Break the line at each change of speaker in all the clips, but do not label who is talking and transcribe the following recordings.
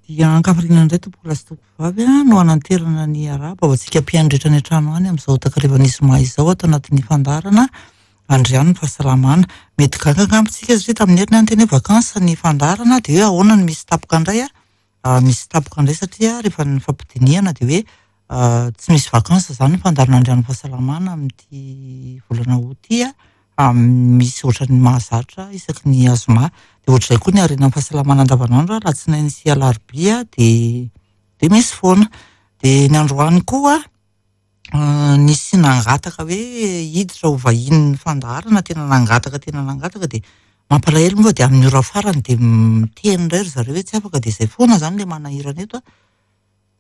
Dia ankafaliana indray tompoko lahy sy tompoko vavy no hananterana ny arahaba ho antsika mpihaino rehetra any an-trano any amin'izao takarivan'ny zoma izao ato anatin'ny fandaharana Andriano ny fahasalamana. Mety gaga angamba isika satria tamin'ny heriny aho niteny hoe vacances ny fandaharana dia hoe ahoana no misy tapoka indray a? Misy tapoka indray satria rehefa nifampidinihana dia hoe tsy misy vacances izany ny fandaharana Andriano ny fahasalamana amin'ity volana août ity a, misy ohatran'ny mahazatra isaky ny zoma. Dia ohatr'izay koa ny harenan'ny fahasalamana andavanandro, alatsinainy sy alarobia dia dia misy foana. Dia ny androany koa nisy nangataka hoe hiditra ho vahinin'ny fandaharana, tena nangataka tena nangataka dia mampalahelo moa fa dia amin'ny ora farany dia miteny indray ry zareo hoe tsy afaka dia izay foana izany ilay manahirana eto a.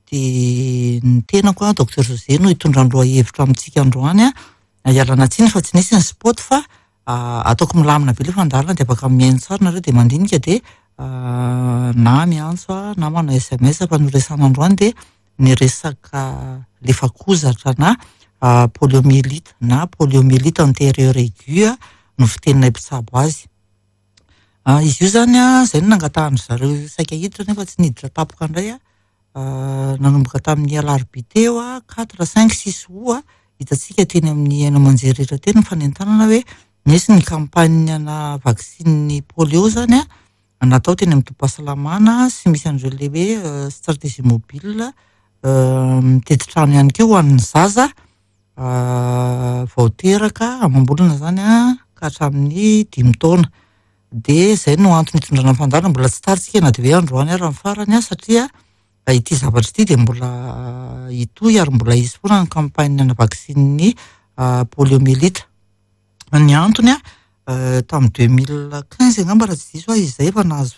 Dia ny tenako a, Docteur José no hitondra ny lohahevitra amintsika androany a. Ialana tsiny fa tsy nisy ny spot fa ataoko milamina be ilay fandaharana dia afaka mihaino tsara nareo dia mandinika dia na miantso a na manao SMS fa ny horesahana androany dia ny resaka lefakozatra na poliomyélite na poliomyélite antérieure aiguë no fiteninay mpitsabo azy. Izy io izany a, izay no nangatahan-dry zareo saika hiditra nefa tsy niditra tampoka indray a. Nanomboka tamin'ny alarobia teo a, quatre, cinq, six août, hitantsika teny amin'ny haino aman-jery rehetra teny ny fanentanana hoe nisy ny campagne ana vaksiny polio izany a, natao teny amin'ny tobim-pahasalamana sy misy an'ireo ilay hoe stratégie mobile mitety trano ihany koa ho an'ny zaza vao teraka amam-bolana izany ka hatramin'ny dimy taona. Dia izay no antony hitondrana ny fandaharana, mbola tsy tara isika na dia hoe androany ary ny farany satria ity zavatra ity dia mbola hitohy ary mbola hisy foana ny campagne ana vaksinin'ny poliomyélite. Ny antony tamin'ny 2015 angamba raha tsy diso aho izay efa nahazo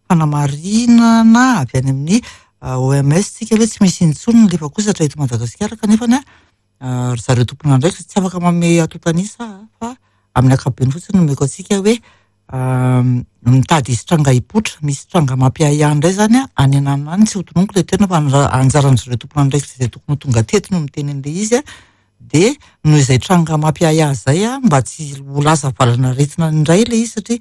fanamarinana avy any amin'ny OMS tsika hoe tsy misy intsony ny lefakozatra eto Madagasikara kanefa ry zareo tompon'andraikitra tsy afaka manome antontan'isa fa amin'ny ankapobeny fotsiny no omeko antsika hoe mitady hisy tranga hipoitra, misy tranga mampiahiahy indray izany any ananona any, tsy ho tononiko ilay toerana fa anjaran'ny zareo tompon'andraikitra izay tokony ho tonga teto no miteny an'ilay izy dia noho izay tranga mampiahiahy izay mba tsy ho lasa valanaretina indray ilay izy satria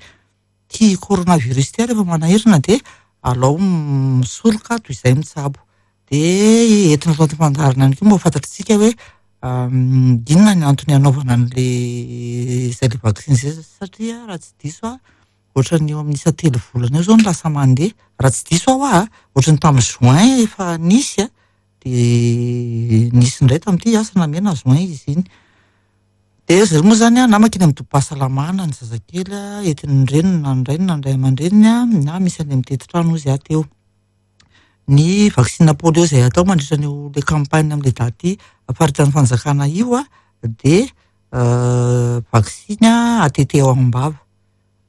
ity coronavirus ity rehefa manahirana dia alao misoroka toy izay mitsabo. Dia entina ato anaty fandaharana ihany koa mba ho fantatr'isika hoe inona ny antony hanaovana an'ilay izay ilay vaksiny izay satria raha tsy diso aho ohatran'ny eo amin'ny isa telo volana eo izao no lasa mandeha. Raha tsy diso aho aho ohatran'ny tamin'ny juin efa nisy a, dia nisy indray tamin'ity asa na mai na juin izy iny. Dia ry zareo moa izany na mankeny amin'ny tobim-pahasalamana ny zazakely entin'ny reniny na ny rainy na ny ray aman-dreniny na misy any amin'ny mitety trano hozy aho teo. Ny vaksina polio izay atao mandritra an'io ilay campagne amin'ilay daty faritan'ny fanjakana io dia vaksiny ATT ao am-bava.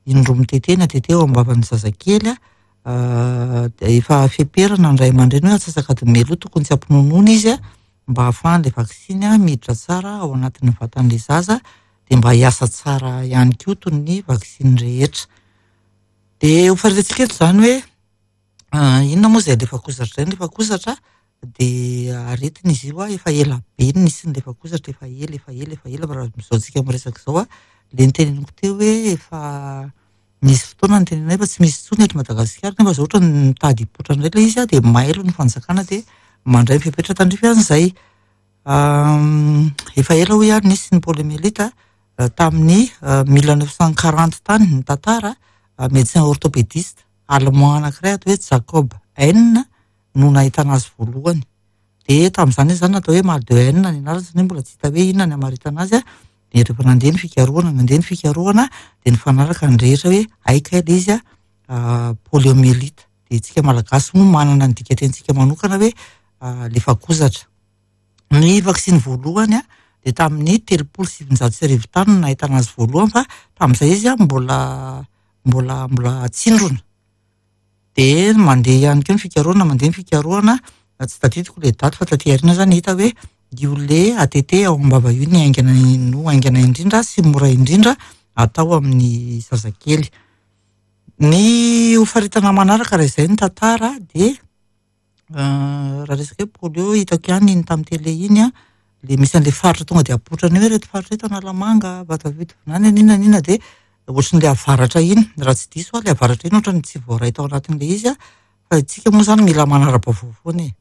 Indroa mitete ny ATT ao am-bavan'ny zazakely dia efa feperana ny ray aman-dreny hoe antsasak'adiny mialoha tokony tsy hampinonoana izy mba hahafahan'ilay vaksiny miditra tsara ao anatin'ny vatan'ilay zaza dia mba hiasa tsara ihany koa toy ny vaksiny rehetra. Dia ho faritantsika eto izany hoe inona moa izay lefakozatra izay? Ny lefakozatra dia aretina izy io, efa ela be no nisy ny lefakozatra, efa ela, efa ela, efa ela fa raha amin'izao tsika miresaka izao ilay noteneniko teo hoe efa nisy fotoana nitenenana hoe efa tsy misy intsony eto Madagasikara nefa izao ohatran'ny mitady hipoitra indray ilay izy dia mailo ny fanjakana dia mandray ny fepetra tandrify an'izay. Efa ela hoy aho nisy ny poliomyélite tamin'ny 1940 tany ny tantara, médecin orthopédiste allemand anankiray atao hoe Jacob Heine no nahitana azy voalohany. Dia tamin'izany izy izany natao hoe mal de Heine ny anarany satria mbola tsy hita hoe inona ny hamaritana azy. Dia rehefa nandeha ny fikarohana, nandeha ny fikarohana dia nifanaraka ny rehetra hoe hay kay ilay izy poliomyélite. Dia isika Malagasy moa manana ny dikatenintsika manokana hoe lefakozatra. Ny vaksiny voalohany dia tamin'ny 1930 tany no nahitana azy voalohany fa tamin'izay izy mbola mbola mbola tsindrona. Dia mandeha ihany koa ny fikarohana, mandeha ny fikarohana, tsy tadidiko ilay daty fa taty aoriana izany hita hoe io le ATT ao am-bava io ny haingana no haingana indrindra sy mora indrindra atao amin'ny zazakely. Ny ho faritana manaraka raha izay ny tantara dia raha resaka hoe polio hitako ihany iny tamin'ny télé iny an, le misy an'le faritra tonga dia apoitrany hoe ireto faritra ireto Analamanga, Vatovavy-Fitovinany, n'inona n'inona dia ohatran'ilay avaratra iny, raha tsy diso aho ilay avaratra iny ohatran'ny tsy voaray tao anatin'ilay izy an, Fa isika moa izany mila manara-baovao foana e.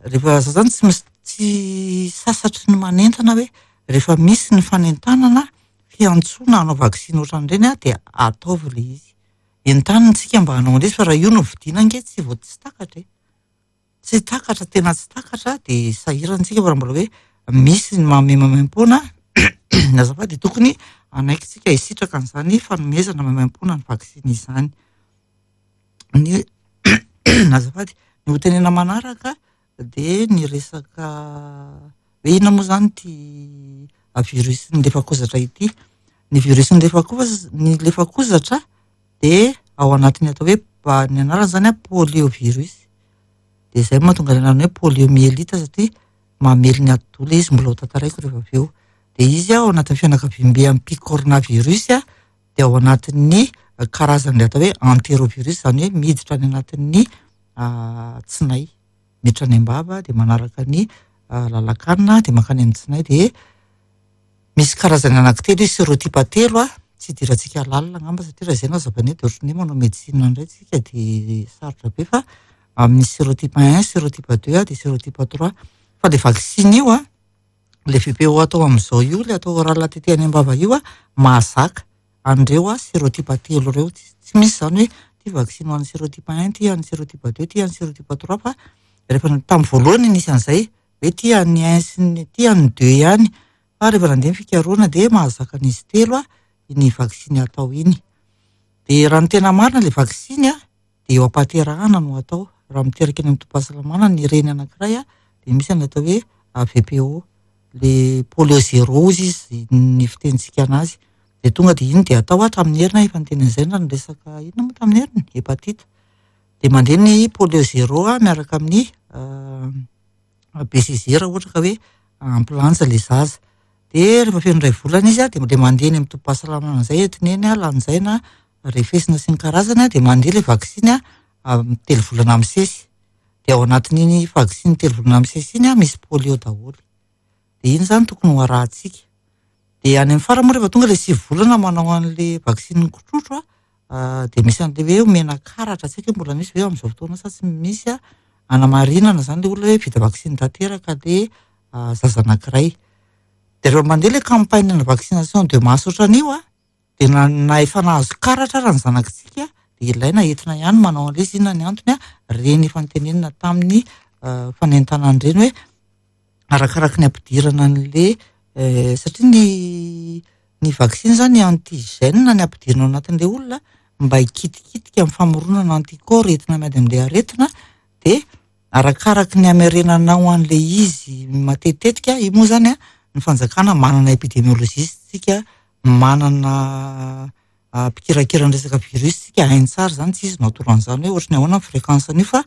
Rehefa za zany tsy mis- tsy sasatry ny manentana hoe rehefa misy ny fanentanana fiantsoana hanao vaksiny ohatran'ireny a, dia ataovy ilay izy. Entanina isika mba hanao an'ilay izy fa raha io no vidiana ange tsy vao tsy takatra e. Tsy takatra, tena tsy takatra dia sahirana isika fa raha mbola hoe misy ny manome maimaimpoana azafady dia tokony hanaiky isika hisitraka an'izany fanomezana maimaimpoana ny vaksiny izany. Ny azafady, ny ho tenena manaraka dia ny resaka hoe inona moa izany ity virus-n'ny lefakozatra ity. Ny virus-n'ny lefakoz- ny lefakozatra dia ao anatin'ny atao hoe ny anarany izany an poliovirus. Dia izay no mahatonga ny anarany hoe poliomyélite satria mamely ny atidoha ilay izy, mbola ho tantaraiko rehefa avy eo. Dia izy ao anatin'ny fianakaviambe amin'ny picornavirus dia ao anatin'ny karazan'ilay atao hoe entérovirus, izany hoe miditra any anatin'ny tsinay. Miditra any am-bava dia manaraka ny lalan-kanina dia mankany amin'ny tsinay dia misy karazany anankitelo izy, sérotype telo a, tsy idirantsika lalina angamba satria raha izay no hazavaina eto dia ohatran'ny hoe manao médecine indray tsika dia sarotra be fa amin'ny sérotype 1, sérotype 2 dia sérotype 3. Fa ilay vaksiny io a, ilay VPO atao amin'izao io, ilay atao oral tetehana any am-bava io a, mahazaka an'ireo a sérotype telo ireo. Tsy misy izany hoe ity vaksiny ho an'ny sérotype 1, ity an'ny sérotype 2, ity an'ny sérotype 3 fa rehefa tamin'ny voalohany nisy an'izay hoe ity an'ny 1 sy ny ity an'ny 2 ihany fa rehefa nandeha ny fikarohana dia mahazaka an'izy telo a iny vaksiny atao iny. Dia raha ny tena marina ilay vaksiny a dia eo am-pahaterahana no atao. Raha miteraka eny amin'ny tobim-pahasalamana ny reny anankiray a dia misy ny atao hoe VPO, le polio zéro hozy izy ny fitenintsika anazy. Dia tonga dia iny dia atao hatramin'ny heriny, efa niteny an'izay na ny resaka inona moa tamin'ny heriny? Hépatite. Dia mandeha ny polio zéro a miaraka amin'ny BCG raha ohatra ka hoe ampy lanja ilay zaza. Dia rehefa feno iray volana izy a dia mandeha eny amin'ny tobim-pahasalamana amin'izay entina eny a, lanjaina, refesina sy ny karazany a, dia mandeha ilay vaksiny a amin'ny telo volana misesy. Dia ao anatin'iny vaksiny telo volana misesy iny a misy polio daholo. Dia iny izany tokony ho arahantsika. Dia any amin'ny farany moa rehefa tonga ilay sivy volana manao an'ilay vaksiny kitrotro a, dia misy an'ilay hoe omena karatra, tsy haiko hoe mbola misy ve amin'izao fotoana sa tsy misy a, anamarinana izany ilay olona hoe vita vaksiny tanteraka ilay zaza anankiray. Dia rehefa mandeha ilay campagne de vaccination de masse ohatran'io a, dia na efa nahazo karatra ara ny zanakitsika dia ilaina entina ihany manao an'ilay izy. Inona ny antony a? Ireny efa notenenina tamin'ny fanentanana ireny hoe arakaraky ny ampidirana an'ilay satria ny vaksiny izany antigène ny ampidirina ao anatin'ilay olona mba hikitikitika amin'ny famoronana anticorps entina miady amin'ilay aretina, dia arakaraky ny hamerenanao an'ilay izy matetitetika. Io moa izany a, ny fanjakana manana épidémiologiste tsika, manana mpikirakira ny resaka virus tsika, hainy tsara izany, tsy izy no atoro an'izany hoe ohatry ny ahoana ny fréquence an'io, fa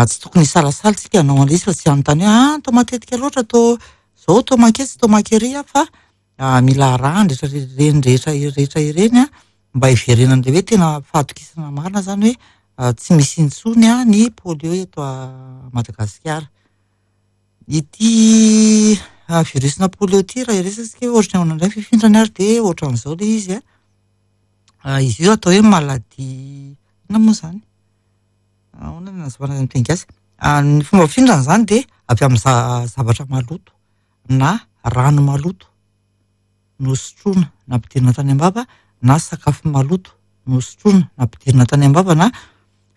tsy tokony hisalasala tsika hanao an'ilay izy fa tsy hanontany hoe toa matetika loatra, toa zao, toa manketsy, toa mankery, fa mila arahana rehetra ireny rehetra rehetra ireny a, mba hiverenan'ilay hoe tena fahatokisana marina izany hoe tsy misy intsony a ny polio eto Madagasikara. Ity virus-na polio ity raha hiresaka hoe ohatry ny ahoana indray ny fifindrany ary dia ohatran'izao ilay izy a. Izy io atao hoe maladie inona moa izany? Ahoana no nazavana azy amin'ny teny gasy? Ny fomba fifindrany izany dia avy amin'ny zavatra maloto na rano maloto nosotroina nampidirina tany am-bava na sakafo maloto nosotroina nampidirina tany am-bava na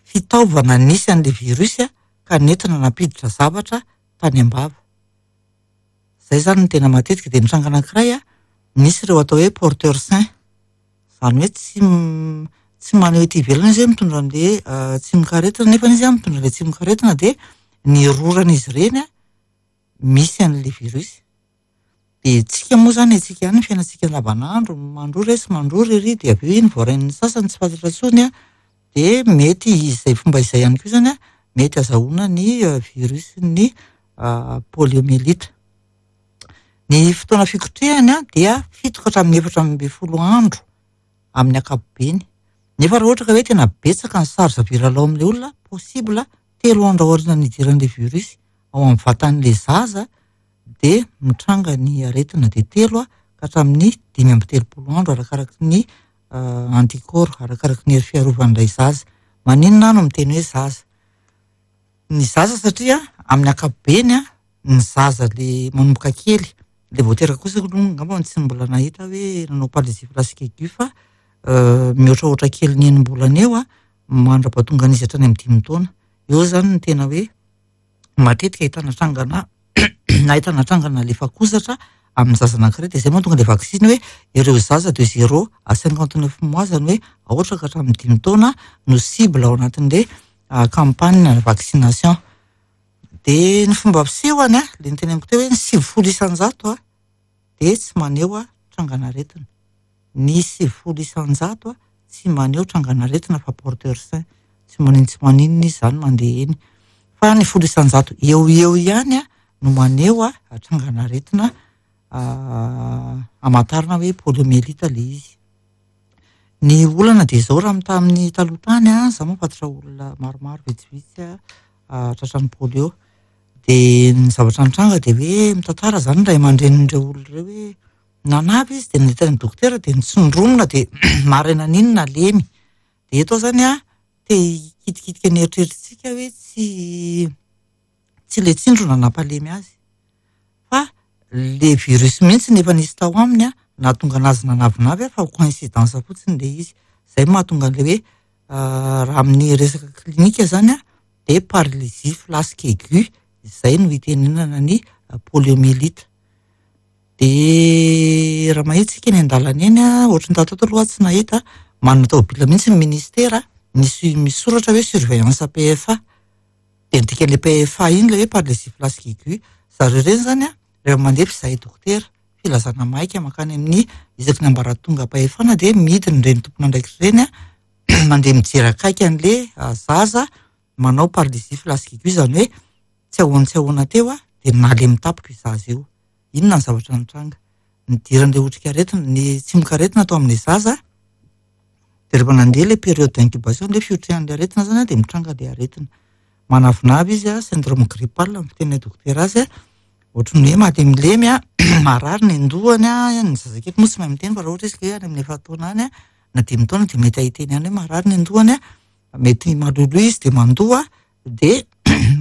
fitaovana nisy an'ilay virus ka nentina nampiditra zavatra tany am-bava. Izay izany no tena matetika. Dia ny tranga anankiray a, nisy ireo atao hoe porteur sain, izany hoe tsy maneho ety ivelany izy hoe mitondra an'ilay tsimokaretina, nefa izy mitondra an'ilay tsimokaretina dia ny roran'izy ireny a misy an'ilay virus. Dia tsika moa izany, antsika ihany ny fiainantsika andavanandro, mandrora etsy, mandrora ery, dia avy eo iny voarain'ny sasany tsy fantatra intsony a, dia mety izay fomba izay ihany koa izany a, mety azahoana ny virus-n'ny poliomyélite. Ny fotoana fikotrehany a dia 7 ka hatramin'ny 14 andro amin'ny ankapobeny. Nefa raha ohatra ka hoe tena betsaka ny charge virale ao amin'ilay olona, possible 3 andro aorian'ny nidiran'ilay virus ao amin'ny vatan'ilay zaza dia mitranga ny aretina, dia 3 ka hatramin'ny 35 andro arakaraky ny anticorps, arakaraky ny hery fiarovan'ilay zaza. Maninona aho no miteny hoe zaza? Ny zaza satria amin'ny ankapobeny a, ny zaza le manomboka kely, le vao teraka kosa aloha angamba tsy mbola nahita hoe nanao paralysie flasque aiguë fa mihoatrahoatra kely ny enim-bolana eo a, mandra-pahatonga an'izy hatrany amin'ny 5 taona. Eo zany no tena hoe matetika ahitana trangana ahitana trangana lefakozatra amin'ny zaza anankiray, dia izay mahatonga ilay vaksiny hoe ireo zaza de 0 à 59 mois, zany hoe aotra ka hatramin'ny 5 taona no cible ao anatin'ilay campagne vaccination. Dia ny fomba fisehony a, ilay niteneniko teo hoe ny 90% a dia tsy maneho trangan'aretina. Ny 90% a tsy maneho trangan'aretina fa porteur sain, tsy maninona tsy maninona izy zany mandeha eny. Fa ny 10% eo eo ihany a no maneho trangan'aretina hamantarana hoe poliomyélite ilay izy. Ny olana dia izao, raha tamin'ny taloha tany a, za mahafantatra olona maromaro vitsivitsy a tratran'ny polio. Dia ny zavatra nitranga dia hoe mitantara zany ny ray aman-drenin'ireo olona ireo hoe nanavy izy dia nandeha tany amin'ny dokotera dia nitsindromina dia maraina n'iny nalemy. Dia eto zany a te hikitikitika ny eritreritritsika hoe tsy ilay tsindrona nampalemy azy fa le virus mihitsy nefa nisy tao aminy a nahatonga anazy nanavinavy a, fa coïncidence fotsiny ilay izy. Izay mahatonga an'ilay hoe raha amin'ny resaka klinika zany a dia paralysie flasque aiguë izay no itenenana ny poliomyélite. Dia raha mahita isika eny an-dalana eny a, ohatry ny tato aloha tsy nahita, manana tômôbila mihitsy ny ministera misy misoratra hoe surveillance PFA. Dia ny dikan'ilay PFA iny ilay hoe paralysie flasque aiguë. Zareo ireny zany a rehefa mandeha fizahay dokotera, filazana maika mankany amin'ny isaky ny ambaratongam-pahefana dia midina ireny tompon'andraikitra ireny a, mandeha mijery akaiky an'ilay zaza manao paralysie flasque aiguë, izany hoe tsy ahoana tsy ahoana teo a dia nalemy tampoka io zaza io. Inona ny zavatra nitranga? Nidiran'ilay otrikaretina, ny tsimokaretina tao amin'ilay zaza, dia rehefa nandeha ilay période d'incubation, ilay fiotrehan'ilay aretina zany a, dia mitranga ilay aretina. Manavinavy izy a, syndrome grippal ny fiteninay dokotera azy a, ohatry ny hoe malemilemy a, marary ny andohany a, ny zazakely moa tsy mahay miteny fa raha ohatra izy ka hoe any amin'ny 4 taona any a, na 5 taona dia mety ahiteny ihany hoe marary ny andohany a, mety maloloha izy dia mandoa, dia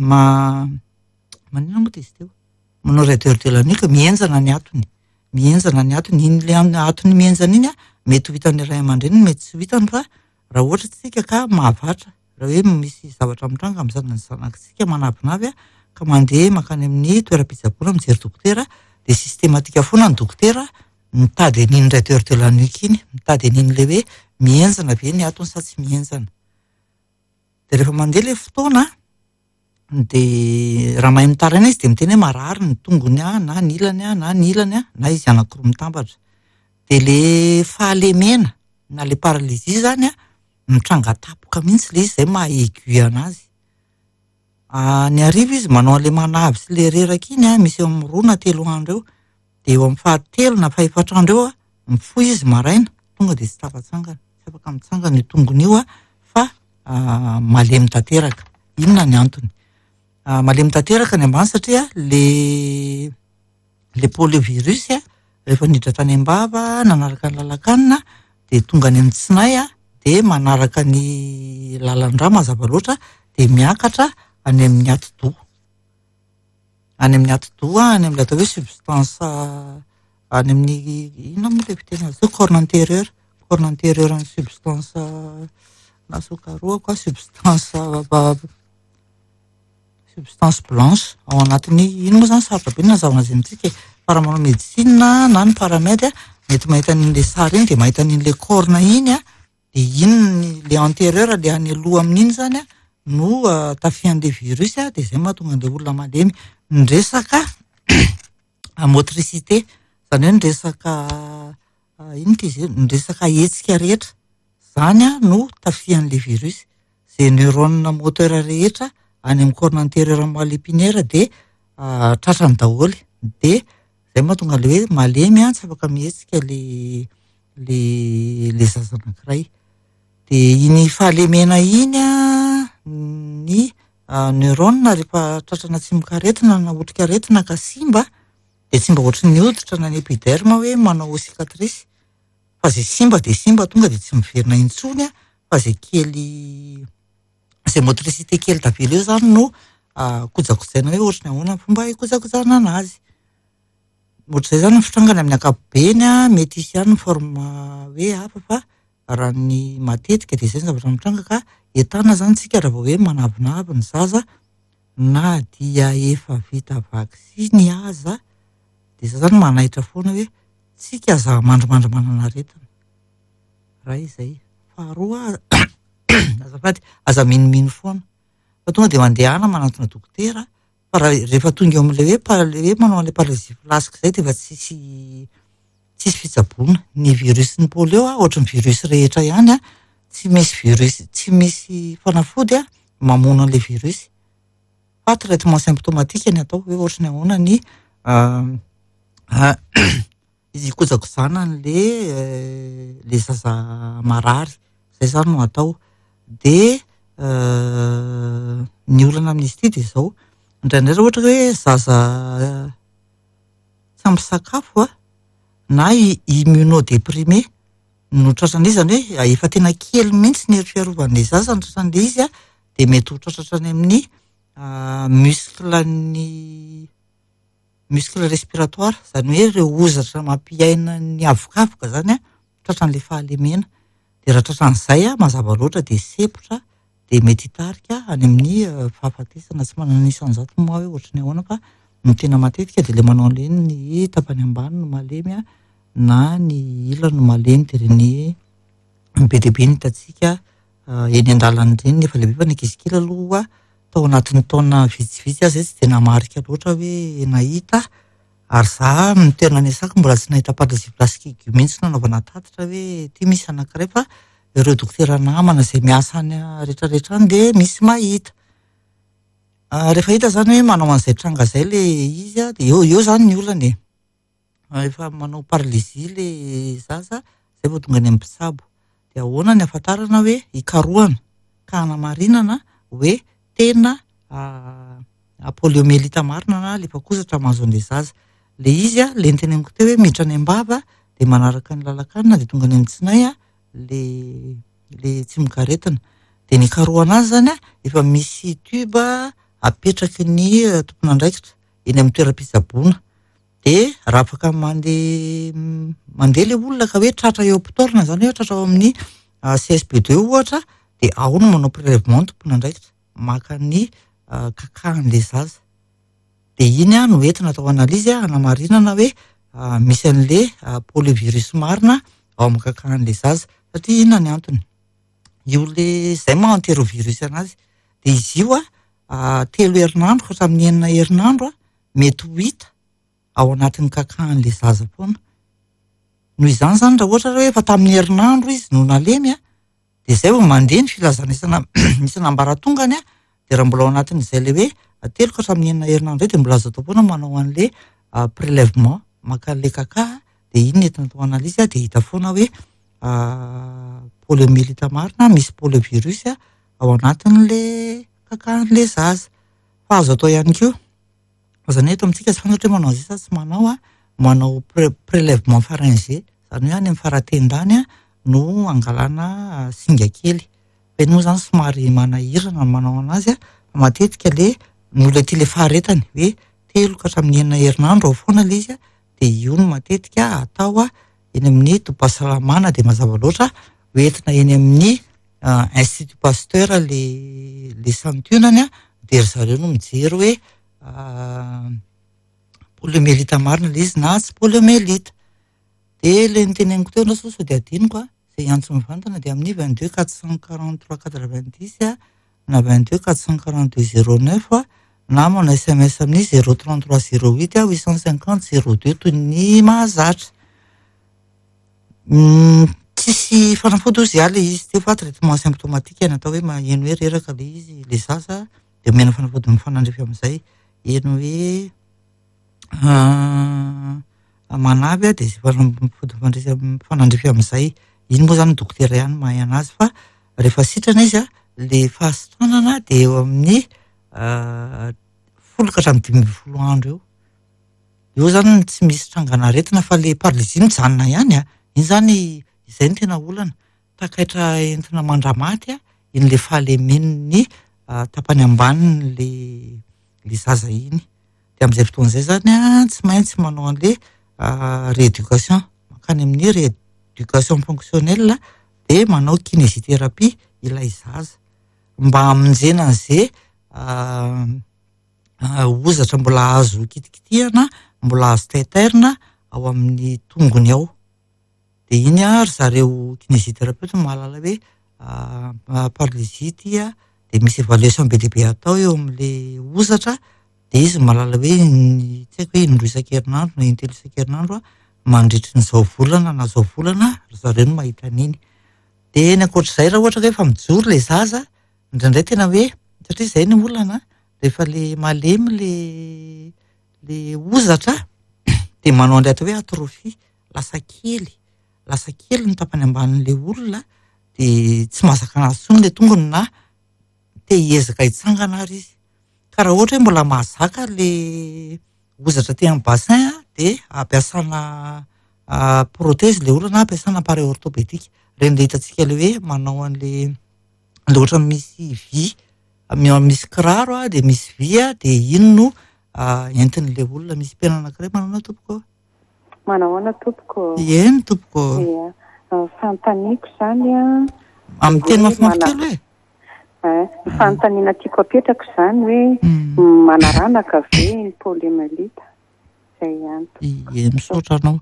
maninona moa izy teo? Manao raideur de la nuque, mihenjana ny atony. Mihenjana ny atony, iny ilay atony mihenjana iny a, mety ho hitan'ny ray aman-dreniny, mety tsy ho hitany fa raha ohatra tsika ka mahavatra, raha hoe misy zavatra mitranga amin'ny zanany zanakitsika manavinavy a, ka mandeha mankany amin'ny toeram-pitsaboana mijery dokotera, dia systématique foana ny dokotera mitady an'iny raideur de la nuque iny, mitady an'iny ilay hoe mihenjana ve ny atony sa tsy mihenjana. Dia rehefa mandeha ilay fotoana dia raha mahay mitaraina izy dia miteny hoe marary ny tongony a, na ny ilany a, na ny ilany a, na izy anankiroa mitambatra. Dia ilay fahalemena na ilay paralysie zany a mitranga tampoka mihitsy ilay izy, izay maha aigu anazy. Ny hariva izy manao an'ilay manavy sy ilay reraka iny a, misy eo amin'ny 2 na 3 andro eo. Dia eo amin'ny fahatelo na fahefatra andro eo a, mifoha izy maraina, tonga dia tsy tafatsangana, tsy afaka mitsangana io tongony io a, fa malemy tanteraka. Inona ny antony? Malemy tanteraka ny ambany satria le poliovirus a, rehefa niditra tany am-bava, nanaraka ny lalan-kanina, dia tonga any amin'ny tsinay a, dia manaraka ny lalan-drà mazava loatra, dia miakatra any amin'ny atidoha. Any amin'ny atidoha, any amin'ilay atao hoe substance, any amin'ny inona moa ilay fiteny azy io? Corne antérieure, corne antérieure ny substance na sokaroako a, substance blanche ao anatin'ny iny moa zany sarotra be ny nazavana azy amintsika e. Fa raha manao médecine na ny paramed a, mety mahita an'ilay sary iny dia mahita an'ilay corne iny a, dia iny le antérieur le any aloha amin'iny zany a no tafihan'ilay virus a, dia izay mahatonga an'ilay olona malemy. Ny resaka motricité, izany hoe ny resaka inona ity izy io? Ny resaka hetsika rehetra, izany a no tafihan'ilay virus. Izay neurone moteur rehetra any amin'ny corne antérieure moelle épinière dia tratrany daholo. Dia izay mahatonga an'ilay hoe malemy a, tsy afaka mihetsika le zaza anankiray. Dia iny fahalemena iny a, ny neurone rehefa tratrana tsimokaretina na otrikaretina ka simba, dia tsy mba ohatry ny hoditra na ny épiderme hoe manao cicatrice, fa izay simba dia simba tonga dia tsy miverina intsony a, fa izay kely, izay motricité kely tavela eo zany no kojakojaina hoe ohatry ny ahoana ny fomba hikojakojana anazy. Ohatr'izay izany ny fitrangany amin'ny ankapobeny an, mety hisy ihany ny forme hoe hafa fa raha ny matetika dia izay ny zavatra mitranga ka entanina izany isika raha vao hoe manavinavy ny zaza na dia efa vita vaksiny aza dia izay izany manaitra foana hoe tsika aza mandrimandry manana aretina. Iray izay. Faharoa azafady, aza minomino foana fa tonga dia mandehana manantona dokotera fa raha rehefa tonga eo amin'ilay hoe par- ilay hoe manao an'ilay paralysie flasque izay dia efa tsisy tsisy fitsaboana. Ny virus ny polio a, ohatry ny virus rehetra ihany a, tsy misy virus, tsy misy fanafody a mamono an'ilay virus fa traitement symptomatique ny atao hoe ohatry ny ahoana ny hikojakojana an'le le zaza marary, izay izany no atao. Dia ny olana amin'izy ity dia izao, indraindray raha ohatra hoe zaza tsy ampy sakafo a, na immunodéprimé no tratran'izy, izany hoe efa tena kely mihitsy ny hery fiarovan'ilay zaza no tratran'ilay izy a, dia mety ho tratra hatrany amin'ny muscle-n'ny muscle respiratoire, izany hoe ireo hozatra mampiaina ny avokavoka izany a, tratran'ilay fahalemena. Dia raha tratran'izay a, mazava loatra dia sempotra dia mety hitarika any amin'ny fahafatesana. Tsy manana isan-jato moa aho hoe ohatry ny ahoana fa ny tena matetika dia ilay manao an'ireny ny tapany ambany no malemy a, na ny ilany no malemy dia ireny be dia be ny hitantsika eny an-dalana ireny nefa lehibe fa ny ankizy kely aloha tao anatin'ny taona vitsivitsy aho izay tsy dia namarika loatra hoe nahita ary za ny toerana niasako mbola tsy nahita paralysie flasque aigu mihitsy nanaovana tatitra hoe ity misy anankiray fa ireo dokotera namana izay miasa any rehetrarehetra any dia misy mahita. Rehefa hita izany hoe manao an'izay tranga izay ilay izy a, dia eo eo izany ny olana e. Efa manao paralysie ilay zaza izay vao tonga any amin'ny mpitsabo. Dia ahoana ny ahafantarana hoe hikarohana ka hanamarinana hoe tena poliomyélite marina na lefakozatra mahazo an'ilay zaza. Ilay izy a, ilay noteneniko teo hoe miditra any am-bava dia manaraka ny lalan-kanina dia tonga any amin'ny tsinay a, ilay ilay tsimokaretina. Dia ny hikarohana azy izany a, efa misy tube apetraky ny tompon'andraikitra eny amin'ny toeram-pitsaboana. Dia raha afaka mandeha mandeha ilay olona ka hoe tratra eo am-potoana izany hoe tratra ao amin'ny CSB deux ohatra dia ao no manao prélèvement ny tompon'andraikitra maka ny kakahan'ilay zaza. Dia iny no entina atao analyse hanamarinana hoe misy an'ilay poliovirus marina ao amin'ny kakahan'ilay zaza. Satria inona ny antony? Io le izay maha entérovirus anazy. Dia izy io a, telo herinandro ka hatramin'ny enina herinandro a, mety ho hita ao anatin'ny kakahan'ilay zaza foana. Noho izany izany raha ohatra hoe efa tamin'ny herinandro izy no nalemy a, dia izay vao mandeha ny filazana isana isan'ambaratongany a, dia raha mbola ao anatin'izay ilay hoe telo ka hatramin'ny enina herinandro izay dia mbola azo atao foana manao an'ilay prélèvement maka an'ilay kaka dia iny no entina atao analyse dia hita foana hoe poliomyélite marina misy poliovirus ao anatin'ilay kakahan'ilay zaza. Fa azo atao ihany koa, fa izany hoe eto amintsika tsy fantatra hoe manao an'izay sa tsy manao a, manao prélèvement pharyngé, izany hoe any amin'ny faratendany no angalana singa kely. Fa iny moa izany somary manahirana ny manao anazy a, fa matetika le ny olona ity le faharetany hoe telo ka hatramin'ny enina herinandro ao foana ilay izy a, dia io no matetika atao a eny amin'ny tobim-pahasalamana dia mazava loatra hoentina eny amin'ny Institut Pasteur le le santionany a, dia ry zareo no mijery hoe poliomyélite marina ilay izy na tsy poliomyélite. Dia ilay noteneniko teo aloha sao dia adinoko a, izay hiantso mivantana dia amin'ny 22 443 90 na 22 442 09 na manao SMS amin'ny 033 08 850 02 toy ny mahazatra. Tsisy fanafody hozy ilay izy teo fa traitement symptomatique ny atao hoe maheno hoe reraka ilay izy ilay zaza dia omena fanafody mifanandrify amin'izay. Heno hoe manavy dia izay fanafody mifanandrify amin'izay. Iny moa izany ny dokotera ihany mahay anazy fa rehefa sitrana izy a, ilay fahasitranana dia eo amin'ny 10 ka hatramin'ny 15 andro eo. Eo izany tsy misy trangan'aretina fa ilay paralysie mijanona ihany a. Iny izany izay no tena olana. Takaitra entina mandramaty a, iny ilay fahalemen'ny tapany ambanin'ilay. le zaza iny. Dia amin'izay fotoana izay zany an, tsy maintsy manao an'le rééducation, mankany amin'ny rééducation fonctionnelle dia manao kinésithérapie ilay zaza mba hamonjena an'izay hozatra mbola azo kitikitihana, mbola azo taitairina ao amin'ny tongony ao. Dia iny ry zareo kinésithérapeute no mahalala hoe paralysie ity an, dia misy évaluation be dia be atao eo amin'ilay hozatra, dia izy no mahalala hoe tsy haiko hoe indroa isan-kerinandro na intelo isan-kerinandro mandritry ny izao volana na izao volana ry zareo no mahita an'iny. Dia ny ankoatr'izay raha ohatra ka hoe efa mijoro ilay zaza, indraindray tena hoe satria izay ny olana rehefa ilay malemy ilay ilay hozatra dia manao an'ilay atao hoe atrophie, lasa kely, lasa kely ny tapany ambanin'ilay olona dia tsy mahazaka anazy intsony ilay tongony na te hiezaka hitsangana ary izy. Ka raha ohatra hoe mbola mahazaka ilay hozatra aty amin'ny bassin dia ampiasana prothèse ilay olona na ampiasana appareil orthopédique. Ireny ilay hitantsika ilay hoe manao an'ilay ilay ohatran'ny misy vy, misy kiraro dia misy vy dia iny no entin'ilay olona. Misy mpihaino anankiray manao ahoana tompoko?
Manao ahoana tompoko?
Eny tompoko.
Ia. Ny fanontaniako izany an.
Amin'ny teny mafimafy kely hoe?
Ny fanontaniana tiako apetraka izany hoe manaranaka ve ny poliomyélite? Izay ihany tompoko.
Ie, misaotra anao.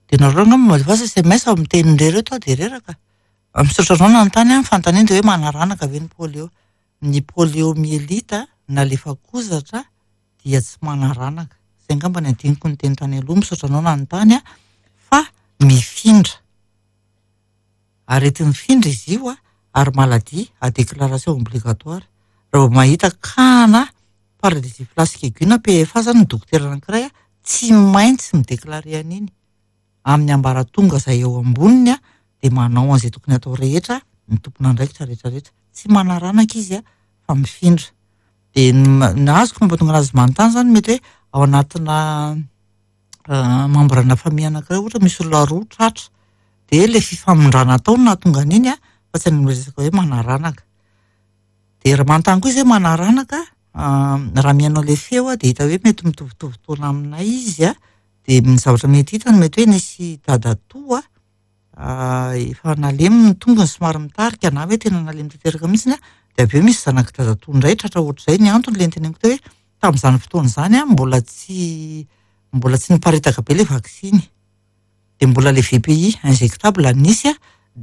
Dia nareo angamba mandefa SMS amin'ny tenin'ireo ireto aho dia reraka. Misaotra anao nanontany an, ny fanontaniana dia hoe manaranaka ve ny polio? Ny poliomyélite na lefakozatra dia tsy manaranaka. Izay angamba ny adinoko niteny tany aloha, misaotra anao nanontany an, fa mifindra. Areti-mifindra izy io ary maladie à déclaration obligatoire. Raha vao mahita cas-na paralysie flasque aiguë na PFA zany ny dokotera anankiray tsy maintsy mi-déclarer an'iny amin'ny ambaratonga izay eo amboniny dia manao an'izay tokony atao rehetra ny tompon'andraikitra rehetrarehetra. Tsy manaranaka izy fa mifindra. Dia ny azoko mampatonga anazy manontany zany mety hoe ao anatina membre-na famille anankiray ohatra misy olona roa tratra dia ilay fifamindrana atao no nahatonga an'iny fa tsy any amin'ny resaka hoe manaranaka. Dia raha manontany koa izy hoe manaranaka, raha mihaino an'ilay feo dia hita hoe mety mitovitovy taona aminay izy dia ny zavatra mety hitany mety hoe nisy dadatoa efa nalemy ny tongony somary mitarika na hoe tena nalemy tanteraka mihitsy dia avy eo misy zanak'i dadatoa indray tratra ohatr'izay. Ny antony ilay niteneniko teo hoe tamin'izany fotoana izany mbola tsy mbola tsy niparitaka be ilay vaksiny. Dia mbola ilay VPI injectable nisy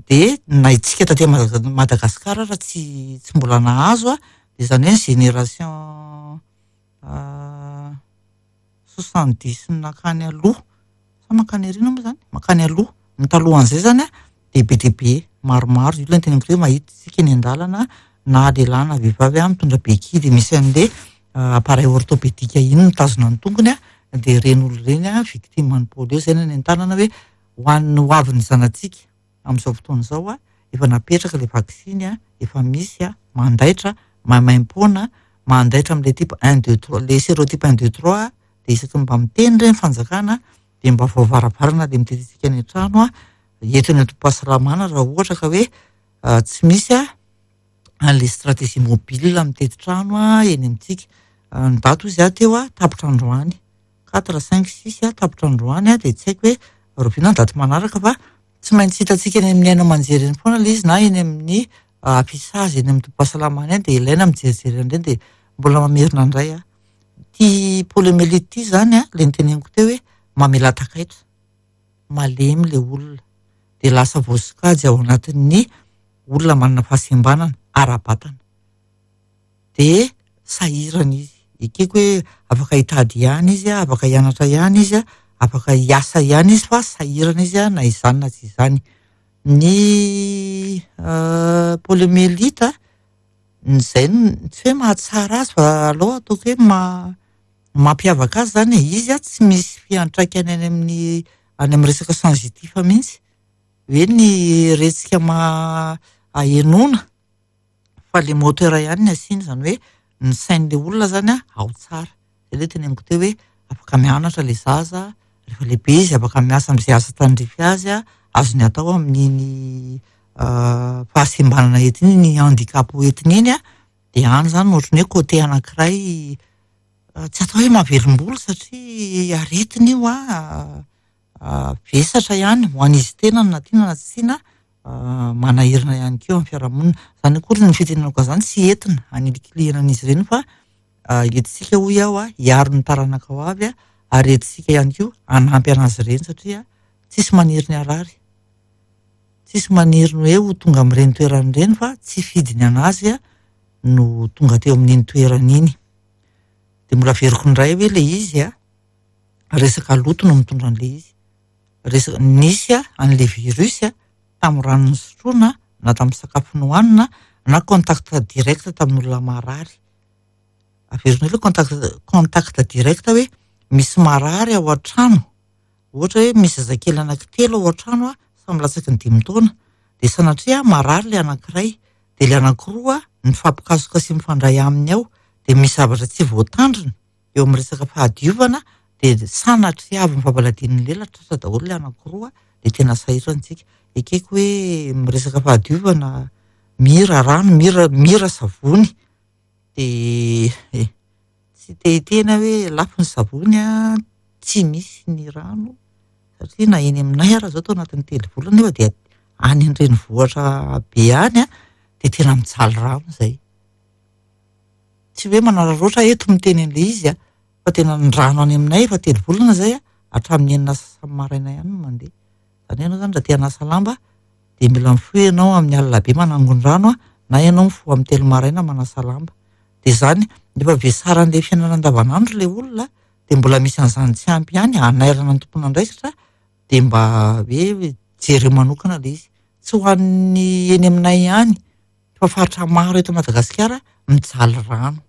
dia na isika taty Madagasikara raha tsy tsy mbola nahazo dia izany hoe ny génération 70 nankany aloha sa mankany aoriana moa izany? Mankany aloha. Ny talohan'izay izany dia be dia be maromaro. Io ilay niteneniko hoe mahita isika eny an-dalana na lehilahy na vehivavy mitondra béquille dia misy an'ilay appareil orthopédique iny mitazona ny tongony dia ireny olona ireny victime ny polio. Izay no nentanana hoe ho an'ny ho avin'ny zanatsika amin'izao fotoana izao efa napetraka ilay vaksiny, efa misy, mandaitra, maimaimpoana, mandaitra amin'ilay type 1, 2, 3, ilay sérotype 1, 2, 3 dia isaky ny mba miteny ireny fanjakana dia mba voavaravarana dia mitety any an-trano eto ny antom-pahasalamana raha ohatra ka hoe tsy misy an'ilay stratégie mobile mitety trano eny amintsika. Ny daty hozy aho teo tapitra androany 4, 5, 6 tapitra androany dia tsy haiko hoe rahoviana ny daty manaraka fa tsy maintsy hitantsika eny amin'ny haino aman-jery eny foana ilay izy na eny amin'ny affichage eny amin'ny tobim-pahasalamana eny dia ilaina mijerijery an'ireny dia mbola mamerina indray aho. Ity poliomyélite ity izany ilay niteneniko teo hoe mamela takaitra, malemy ilay olona dia lasa voasokajy ao anatin'ny olona manana fahasembanana ara-batana. Dia sahirana izy. Ekeko hoe afaka hitady ihany izy, afaka hianatra ihany izy, afaka hiasa ihany izy fa sahirana izy na izany na tsy izany. Ny poliomyélite izay tsy hoe mahatsara azy fa aleo ataoko hoe mampiavaka azy izany e. Izy tsy misy fiantraikany any amin'ny any amin'ny resaka sensitif mihitsy. Hoe ny retsika ahenoana fa ilay moteur ihany no asiana, izany hoe ny sain'ilay olona izany ao tsara. Izay ilay teneniko teo hoe afaka mianatra ilay zaza, rehefa lehibe izy afaka miasa amin'izay asa tandrify azy, azony atao amin'iny fahasembanana entiny iny, ny handicap entiny iny, dia any izany ohatran'ny hoe côté anankiray. Tsy atao hoe mahavelom-bolo satria aretina io an, vesatra ihany ho an'izy tenany na tiana na tsy tiana, manahirana ihany koa amin'ny fiarahamonina. Izany akory ny fitenenako an'izany tsy entina hanilikilihana an'izy ireny fa entintsika hoy aho hiaro ny taranaka ho avy ary entintsika ihany koa hanampy an'azy ireny satria tsisy maniry ny harary. Tsisy maniry ny hoe ho tonga amin'ireny toerana ireny fa tsy fidiny an'azy no tonga teo amin'iny toerana iny. Dia mbola averiko indray hoe ilay izy an, resaka loto no mitondra an'ilay izy. Resaka, nisy an'ilay virus tamin'ny rano nosotroina na tamin'ny sakafo nohanina na contact direct tamin'olona marary. Averiko indray ilay contact, contact direct hoe misy marary ao an-trano. Ohatra hoe misy zazakely anankitelo ao an-trano samy latsaky ny 5 taona. Dia sanatria marary ilay anankiray, dia ilay anankiroa mifampikasoka sy mifandray aminy ao, dia misy zavatra tsy voatandrina eo amin'ny resaka fahadiovana, dia sanatria avy mifampaladian'ny lela tratra daholo ilay anankiroa, dia tena sahirana isika. Ekeko hoe miresaka fahadiovana, mira rano, mira, mira savony, dia tsy te hiteny aho hoe lafo ny savony an, tsy misy ny rano, satria na eny aminay ara izao tao anatin'ny 3 volana nefa dia any an-drenivohitra be any an, dia tena mijaly rano izay. Tsy hoe manararaotra eto miteny an'ilay izy an, fa tena ny rano any aminay efa 3 volana izay an, hatramin'ny enina sy sasany maraina ihany no mandeha. Izany hoe ianao izany raha te hanasa lamba dia mila mifoha ianao amin'ny alina be manangon-drano an, na ianao mifoha amin'ny 3 maraina manasa lamba. Dia izany, efa vesaran'ilay fiainana andavanandro ilay olona, dia mbola misy an'izany tsy ampy ihany hanairana ny tompon'andraikitra, dia mba hoe jereo manokana ilay izy. Tsy ho an'ny eny aminay ihany, fa faritra maro eto Madagasikara mijaly rano.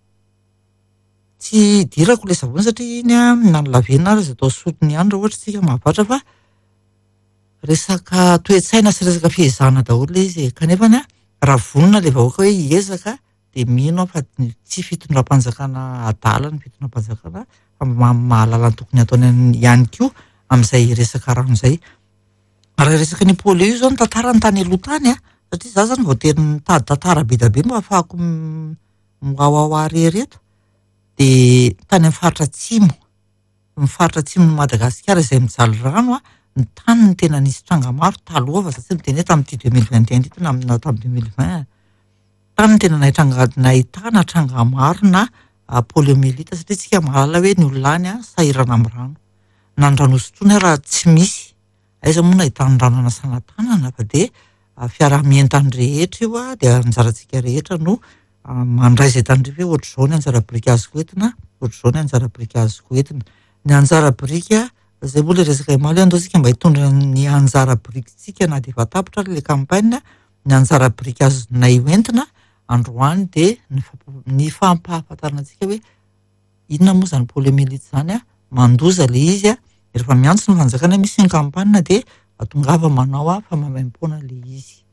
Tsy idirako ilay savony satria iny an, na ny lavenona ary aza atao solony ihany raha ohatra isika mahavatra fa resaka toe-tsaina sy resaka fiezahana daholo ilay izy e. Kanefa ny raha vonona ilay vahoaka hoe hiezaka dia mino aho fa tsy fitondram-panjakana adala ny fitondram-panjakana fa mahalala ny tokony ataony ihany koa amin'izay resaka rano izay. Raha resaka ny polio io izao ny tantarany tany aloha tany an, satria izaho izany voatery nitady tantara be dia be mba ahafahako miwawawa irery eto, dia tany amin'ny faritra atsimo, ny faritra atsimon'i Madagasikara izay mijaly rano an, ny tany no tena nisy tranga maro taloha fa za tsy miteny hoe tamin'ity 2021 ity na tamin'ny 2020. Tany no tena nahitana tranga maro na poliomyélite satria tsika mahalala hoe ny olona any an sahirana amin'ny rano. Na ny rano hosotroina raha tsy misy, aiza moa no ahitana rano hanasana tanana fa dia fiaraha-mientan'ny rehetra io an, dia anjarantsika rehetra no mandray izay tandrify hoe ohatr'izao ny anjara biriky azoko entina, ohatr'izao ny anjara biriky azoko entina. Ny anjara biriky, izay moa ilay resaka omaly, andao isika mba hitondra ny anjara birikintsika na dia efa tapitra ary ilay campagne, ny anjara biriky azonay hoentina androany dia ny fampahafantarana antsika hoe inona moa izany poliomyélite izany an, mandoza ilay izy an, rehefa miantso ny fanjakana hoe misy ny campagne dia tongava manao an, fa maimaimpoana ilay izy.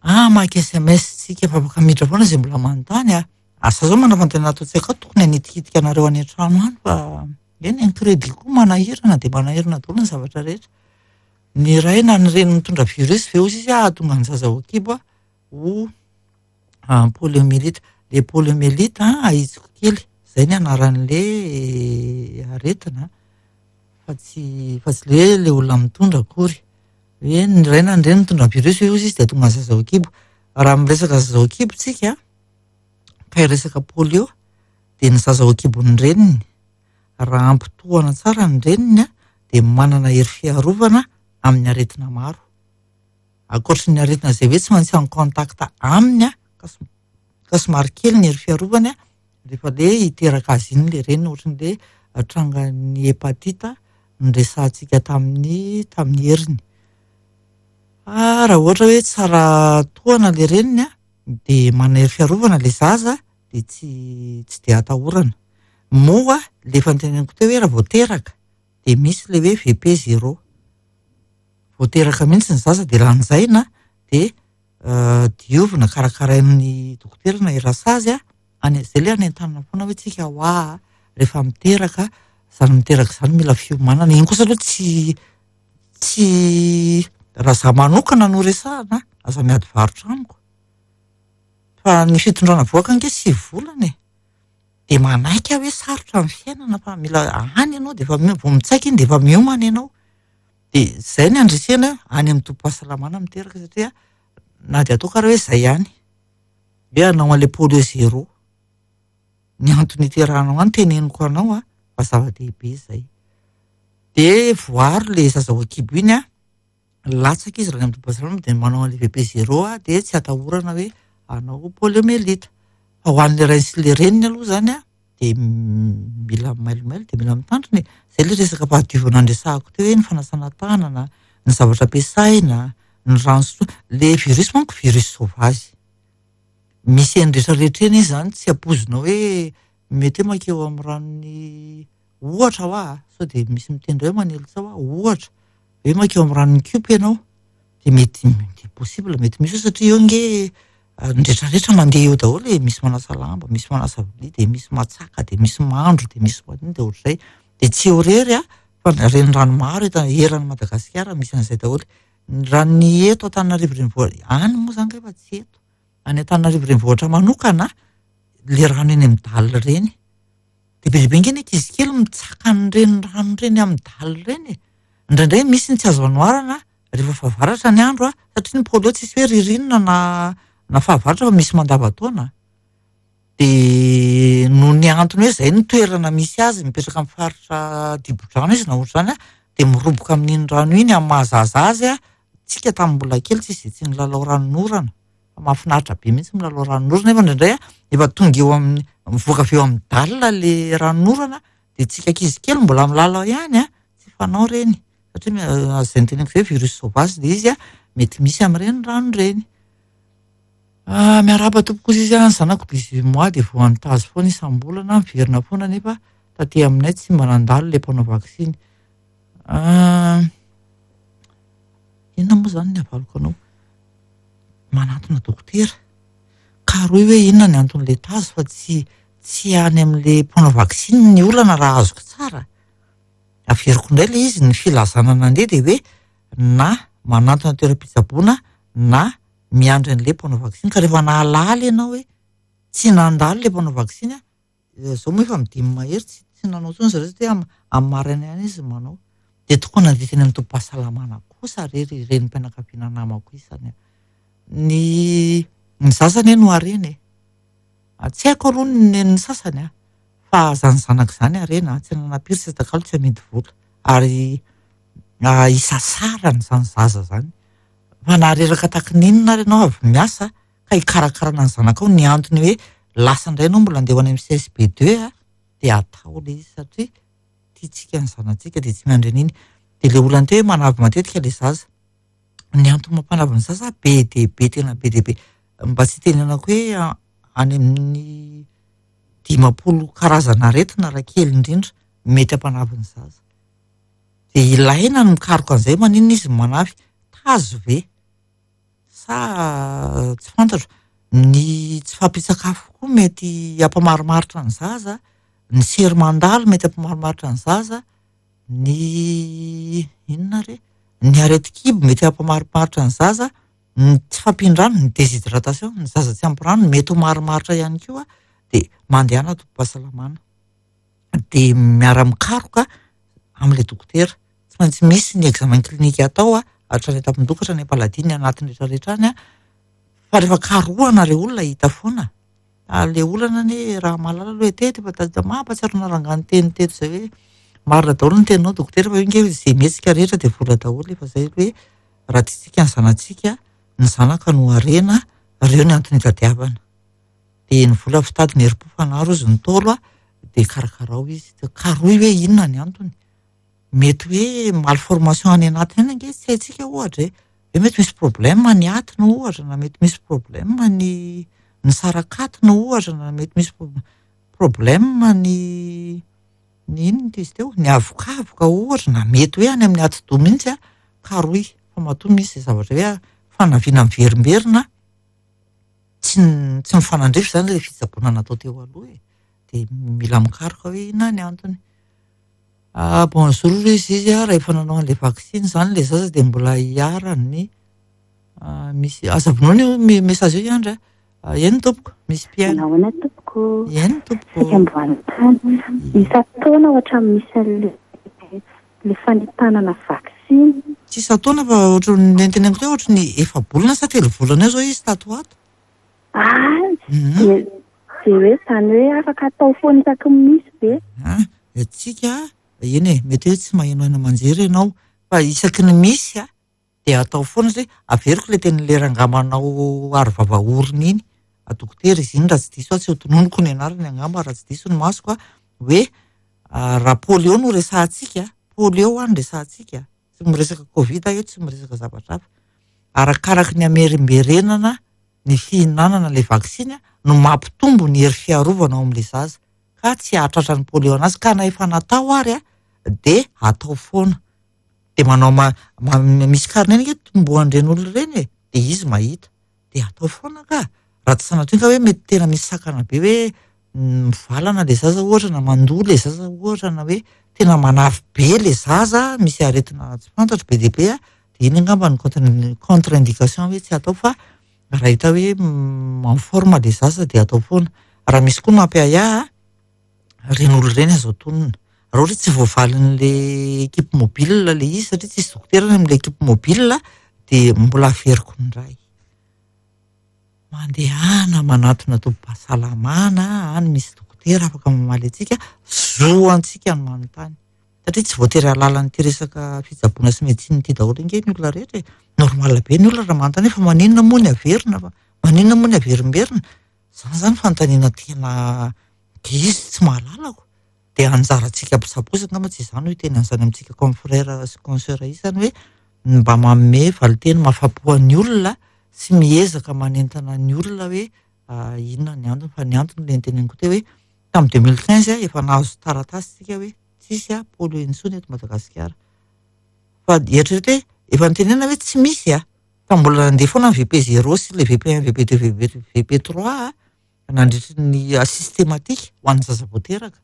Ah, maka SMS tsika fa afaka miditra foana izay mbola manontany an. Asa zao manao fantenana ato an-tsaiko ato, tokony hanitikitika anareo any an-trano any fa eny ny crédit koa manahirana dia manahirana daholo ny zavatra rehetra. Ny ray na ny reny mitondra virus ve hozy izy hahatonga ny zaza ho kibo ho poliomyélite. Le poliomyélite ahitsiko kely, izay ny anaran'le aretina fa tsy fa tsy le le olona mitondra akory. Hoe ny ray na ny reny mitondra virus ve hozy izy dia hahatonga ny zaza ho kibo. Raha miresaka zaza ho kibo tsika ka hiresaka polio dia ny zaza ho kibon'ny reniny raha ampitohana tsara ny reniny dia manana hery fiarovana amin'ny aretina maro. Ankoatry ny aretina izay hoe tsy maintsy en contact aminy ka somary kely ny hery fiarovany rehefa le hiteraka azy iny le reniny, ohatry ny le trangan'ny hépatite noresahantsika tamin'ny tamin'ny heriny. Fa raha ohatra hoe tsara tohana le reniny dia manana hery fiarovana le zaza dia tsy tsy dia atahorana. Moa le efa noteneniko teo hoe raha vao teraka dia misy le hoe VP0. Vao teraka mihitsy ny zaza dia lanjaina dia diovina karakarain'ny dokotera na i rasazy any izay le anentanana foana hoe tsika hoa rehefa miteraka izany miteraka izany mila fiomanana. Iny kosa aloha tsy tsy raha za manokana no resahana aza miady varotra amiko. Fa ny fitondrana vohoka ange 9 volana e. Dia manaiky aho hoe sarotra ny fiainana fa mila any ianao dia efa vao mitsaika iny dia efa miomana ianao. Dia izay ny andresena any amin'ny tobim-pahasalamana miteraka satria na dia ataoko ary hoe izay ihany. Hoe hanao an'ilay polio zéro. Ny antony iterahanao any teneniko anao a, fa zava-dehibe izay. Dia voaro ilay zaza ao an-kibo iny a, latsaka izy raha any amin'ny tobim-pahasalamana dia manao an'ilay VP zéro a, dia tsy atahorana hoe hanao poliomyélite. Fa ho an'ilay rainy sy ilay reniny aloha izany a, dia mila mailomailo dia mila mitandrina e. Izay ilay resaka fahadiovana niresahako teo hoe ny fanasana tanana, ny zavatra ampiasaina, ny rano sotroina. Ilay virus manko virus sauvage. Misy eny rehetra rehetra eny izy izany tsy ampoizinao hoe mety hoe mankeo amin'ny ranon'ny ohatra hoa a, sao dia misy miteny indray hoe manely tsaho aho, ohatra hoe mankeo amin'ny ranon'ny kiopy ianao dia mety dia possible mety misy eo satria eo ange ny rehetra rehetra mandeha eo daholo e, misy manasa lamba, misy manasa vilia, dia misy matsaka, dia misy mandro, dia misy manino dia ohatr'izay. Dia tsy eo irery a, fa renirano maro eto eran'i Madagasikara misy an'izay daholo. Raha ny eto Antananarivo renivohitra, any moa izany kay fa tsy eto. Any Antananarivo renivohitra manokana, le rano eny amin'ny dalle ireny. Dia be dia be ange ny ankizy kely mitsaka an'ireny rano ireny amin'ny dalle ireny e. Indraindray misy ny tsy azo anoharana rehefa fahavaratra ny andro a, satria ny polio tsisy hoe ririnina na na fahavaratra fa misy mandavantaona. Dia noho ny antony hoe izay no toerana misy azy, mipetraka amin'ny faritra dibo-drano izy na ohatr'izany a, dia miroboka amin'iny rano iny amin'ny maha-zaza azy a, tsika tamin'ny mbola kely tsisy izay tsy nilalao ranonorana. Fa mahafinaritra be mihitsy milalao ranonorana nefa indraindray a, efa tonga eo amin'ny, mivoaka avy eo amin'ny dalle le ranonorana dia tsika ankizy kely mbola milalao ihany a, tsy fanao ireny. Satria izay noteneniko izay virus sauvage ilay izy a, mety misy amin'ireny rano ireny. Ah, miarahaba tompoko izy ny zanako 18 mois dia voan'ny tazo foana isam-bolana, miverina foana nefa taty aminay tsy mba nandalo ilay mpanao vaksiny. Ah, inona moa izany ny havaliko anao? Manantona dokotera. Karohy hoe inona ny anton'ilay tazo fa tsy tsy any amin'ilay mpanao vaksiny ny olana raha azoko tsara. Averiko indray ilay izy, ny filazana nandeha dia hoe na manantona toeram-pitsaboana na miandry an'ilay mpanao vaksiny ka rehefa nahalala ianao hoe tsy nandalo ilay mpanao vaksiny a, izao moa efa midimy mahery tsy tsy nanao intsony zareo satria am- amin'ny maraina ihany izy no manao. Dia tokony handeha teny amin'ny tobim-pahasalamana kosa re ry renim-pianakaviana namako isany a. Ny ny zaza anie no harena e. Tsy haiko aloha ny nen'ny sasany a, fa izany zanaka izany harena, tsy ananam-piry tsy atakalo tsy amidy vola. Ary isasarana izany zaza izany. Fa na reraka tahaka ny inona ary ianao avy miasa ka hikarakarana ny zanakao, ny antony hoe lasa indray ianao mbola andeha ho any amin'ny CSB deux a, dia atao ilay izy satria tiantsika ny zanatsika dia tsy miandry an'iny. Dia ilay olana teo hoe manavy matetika ilay zaza. Ny antony mampanavy ny zaza be dia be, tena be dia be. Mba tsy hitenenako hoe any amin'ny 50 karazana aretina raha kely indrindra mety hampanavy ny zaza. Dia ilaina ny mikaroka an'izay, maninona izy no manavy? Tazo ve? Sa tsy fantatro. Ny tsy fahampian-tsakafo koa mety hampamarimaritra ny zaza, ny sery mandalo mety hampamarimaritra ny zaza, ny inona re? Ny aretin-kibo mety hampamarimaritra ny zaza, ny tsy fahampian-drano, ny déshydratation, ny zaza tsy ampy rano mety ho marimaritra ihany koa, dia mandehana tobim-pahasalamana. Dia miara-mikaroka amin'ilay dokotera. Tsy maintsy misy ny examen clinique atao a, hatrany an-tampon-doha ka hatrany am-paladia ny anatiny rehetra rehetra any a. Fa rehefa karohana ilay olona hita foana. Ilay olana anie raha mahalala aloha e, teto efa tadidiko, mampahatsiaro anà rangahy niteny teto izay hoe marina daholo ny teninao dokotera fa io ange izay mihetsika rehetra dia vola daholo efa izay hoe raha tiantsika ny zanatsika, ny zanaka no harena, ireo ny antony itadiavana. Dia ny vola fitady ny herim-po fanaro hozy ny Ntaolo a, dia karakarao izy. Karohy hoe inona ny antony. Mety hoe malformation any anatiny any ange tsy haintsika ohatra e. Hoe mety misy problème ny atiny ohatra, na mety misy problème ny ny sarak'atiny ohatra, na mety misy problème ny ny inona ity izy teo, ny avokavoka ohatra, na mety hoe any amin'ny atidoha mihitsy a, karohy. Fa matoa misy izay zavatra hoe fanaviana miverimberina, tsy tsy mifanandrify izany ilay fitsaboana natao teo aloha e. Dia mila mikaroka hoe inona ny antony. Ah, bonjour ry izy a, rehefa nanao an'ilay vaksiny izany ilay zaza dia mbola hiharan'ny misy, aza vonoina io message io Andry a. Eny tompoko, misy mpihaino.
Manahoana tompoko?
Eny tompoko.
Saika mbo hanontany. Isan-taona ohatran'ny misy an'ilay ilay fanentanana vaksiny.
Tsy isan-taona fa ohatran'ny nentineniko teo ohatran'ny efa-bolana sa telo volana eo izao izy tato ho ato.
Ah, dia dia hoe izany hoe afaka atao foana isaky ny misy ve?
Ah, antsika, eny e, mety hoe tsy maheno haino aman-jery ianao fa isaky ny misy dia atao foana satria averiko ilay tenin'ilay rangahy manao aro vava orona iny, dokotera izy iny raha tsy diso aho, tsy ho tononiko ny anarany angamba raha tsy diso ny masoko hoe raha polio no resahantsika, polio ho'a no resahantsika, tsy miresaka covid aho eto, tsy miresaka zavatra hafa, arakaraky ny hamerimberenana ny fihinanana ilay vaksiny no mampitombo ny hery fiarovana ao amin'ilay zaza ka tsy hahatratra ny polio anazy, ka na efa natao ary dia atao foana. Dia manao misy carnet ange tombohan'ireny olona ireny e, dia izy mahita, dia atao foana ka, raha tsy sanatria ka hoe mety tena misy sakana be hoe mivalana ilay zaza ohatra na mandoa ilay zaza ohatra na hoe tena manavy be ilay zaza, misy aretina tsy fantatro be dia be dia iny angamba no contre-indication hoe tsy atao fa raha hita hoe en forme ilay zaza dia atao foana. Raha misy koa mampiahiahy ireny olona ireny azo atonina. Raha ohatra hoe tsy voavalin'ilay équipe mobile ilay izy satria tsisy dokotera any amin'ilay équipe mobile dia mbola averiko indray. Mandehana manatona tobim-pahasalamana, any misy dokotera afaka mamaly antsika, zo antsika ny manontany. Satria tsy voatery hahalala an'ity resaka fitsaboana sy médecine ity daholo ange ny olona rehetra e. Normal be ny olona raha manontany hoe fa maninona moa ny averina, fa maninona moa ny averimberina. Izany izany fanontaniana tena izy tsy mahalala ko. Dia anjarantsika mpitsabo kosa angamba tsy izany no hiteny an'izany amintsika confrère sy consoeur isany hoe mba manome valinteny mahafapo an'ny olona sy miezaka manentana ny olona hoe inona ny antony. Fa ny antony ilay noteneniko teo hoe tamin'ny 2015 efa nahazo taratasy tsika hoe tsisy polio intsony eto Madagasikara. Fa eritrereto hoe efa notenenina hoe tsy misy fa mbola nandeha foana ny VP zéro sy ilay VP un, VP deux, VP trois nandritry ny systématique ho an'ny zaza vao teraka.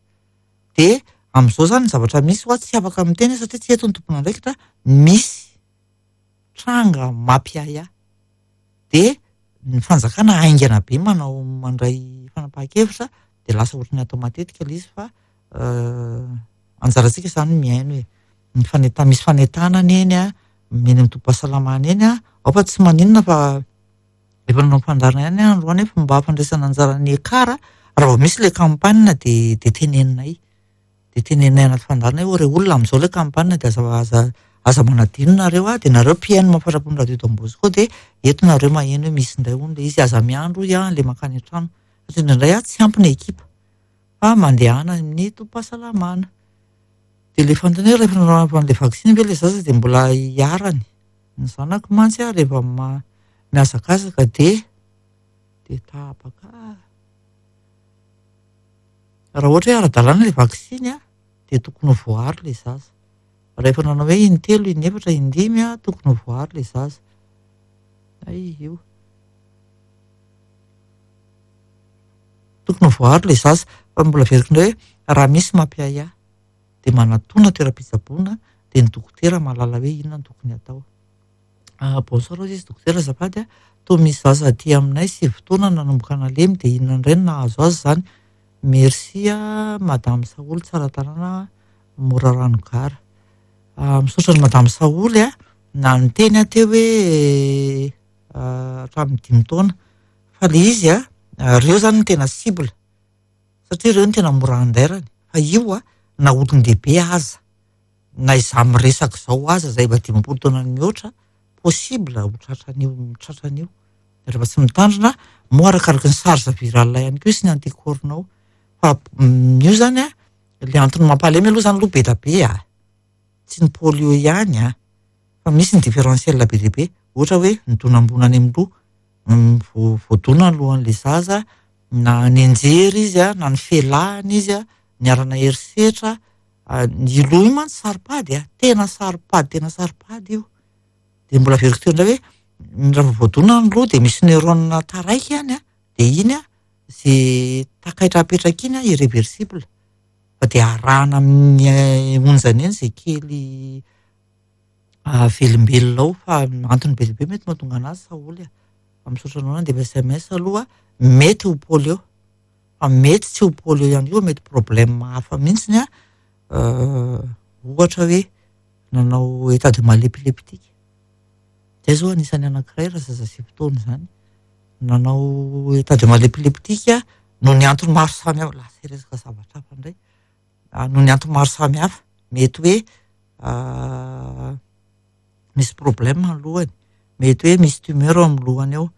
Dia amin'izao izany ny zavatra misy hoa tsy afaka miteny satria tsy eto ny tompon'andraikitra, misy tranga mampiahiahy. Dia ny fanjakana haingana be manao mandray fanapahan-kevitra dia lasa ohatran'ny atao matetika ilay izy fa anjarantsika izany mihaino e. Ny fanenta-, misy fanentanana eny eny amin'ny tobim-pahasalamana eny ao fa tsy maninona fa efa nanao fandaharana ihany aho androany hoe fomba fandraisana anjara ny ekara, raha vao misy ilay campagne dia dia teneninay. Dia teneninay anaty fandaharana hoe ry olona amin'izao ilay campagne dia aza aza aza manadino nareo dia nareo mpihaino mahafatrapo ny radio Don Bosco dia eto nareo maheno hoe misy indray hono ilay izy, aza miandry hoy aho ilay mankany an-trano. Satria indraindray tsy ampy ny ekipa fa mandehana amin'ny tobim-pahasalamana. Dia ilay fanontaniana hoe rehefa nanao an'ilay vaksiny ve ilay zaza dia mbola hiharany? Ny zanako mantsy rehefa mihazakazaka dia dia tapaka. Raha ohatra hoe ara-dalàna ilay vaksiny dia tokony ho voaaro ilay zaza. Raha efa nanao hoe in-telo, in-efatra, in-dimy tokony ho voaaro ilay zaza. Hay io. Tokony ho voaaro ilay zaza. Fa mbola averiko indray hoe raha misy mampiahiahy dia manatona toeram-pitsaboana dia ny dokotera mahalala hoe inona no tokony atao. Bonsoir hozy izy dokotera azafady a, toa misy zaza aty aminay 9 taona nanomboka nalemy dia inona indray no nahazo azy izany? Merci a madame Saholy Tsaratanàna Morarano Gara. Misaotra an'i madame Saholy a, na niteny aho teo hoe hatramin'ny 5 taona fa ilay izy a, ireo izany no tena cible satria ireo no tena mora andairany fa io a na olon-dehibe aza na izaho miresaka izao aza izay efa 50 taona mihoatra possible ho tratran'io, tratran'io. Rehefa tsy mitandrina, moa arakaraky ny charge virale ihany koa sy ny anticorps-nao. Fa io izany a, ilay antony mampalemy aloha izany aloha be dia be a. Tsy ny polio ihany a, fa misy ny différentiel be dia be. Ohatra hoe ny donam-bono any amin'ny loha, voadona ny lohan'ilay zaza, na nianjera izy a, na nifelahana izy a, niharana herisetra. Ny loha io mantsy saro-pady a, tena saro-pady, tena saro-pady io. Dia mbola averiko teo indray hoe raha vao voadona ny loha dia misy neurone taraiky any a, dia iny a, izay takaitra apetraka iny a, irréversible. Fa dia arahana amin'ny onjany eny izay kely velombelona ao fa antony be dia be mety mahatonga anazy Saholy a. Fa misaotra anao nandefa SMS aloha. mety ho polio, fa mety tsy ho polio ihany koa, mety problème hafa mihitsiny an, ohatra hoe nanao état de mal épileptique. Zay zao anisan'ny anankiray raha zaza sivy taona izany. Nanao état de mal épileptique noho ny antony maro samihafa, lasa hiresaka zavatra hafa indray. Noho ny antony maro samihafa, mety hoe misy problème ny lohany, mety hoe misy tumeur ao amin'ny lohany ao,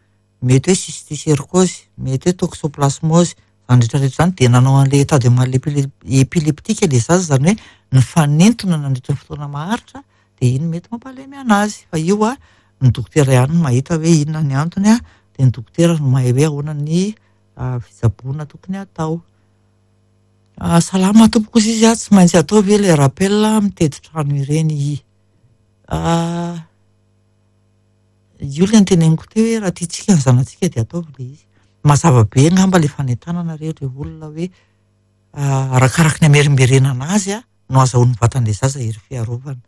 mety hoe cysticercose, mety hoe toxoplasmose, izany rehetra rehetra izany dia nanao an'ilay état de mal épileptique ilay zaza, izany hoe nifanintona nandritra ny fotoana maharitra, dia iny mety mampalemy anazy. Fa io a, ny dokotera ihany no mahita hoe inona ny antony a, dia ny dokotera no mahay hoe ahoana ny fitsaboana tokony hatao. Salama tompoko ozy izy a, tsy maintsy atao ve ilay rappel mitety trano ireny i? Io ilay noteneniko teo hoe raha tiantsika ny zanatsika dia ataovy ilay izy. Mazava be angamba ilay fanentanana re ireo olona hoe arakaraky ny hamerimberenana azy a no azahoan'ny vatan'ilay zaza hery fiarovana.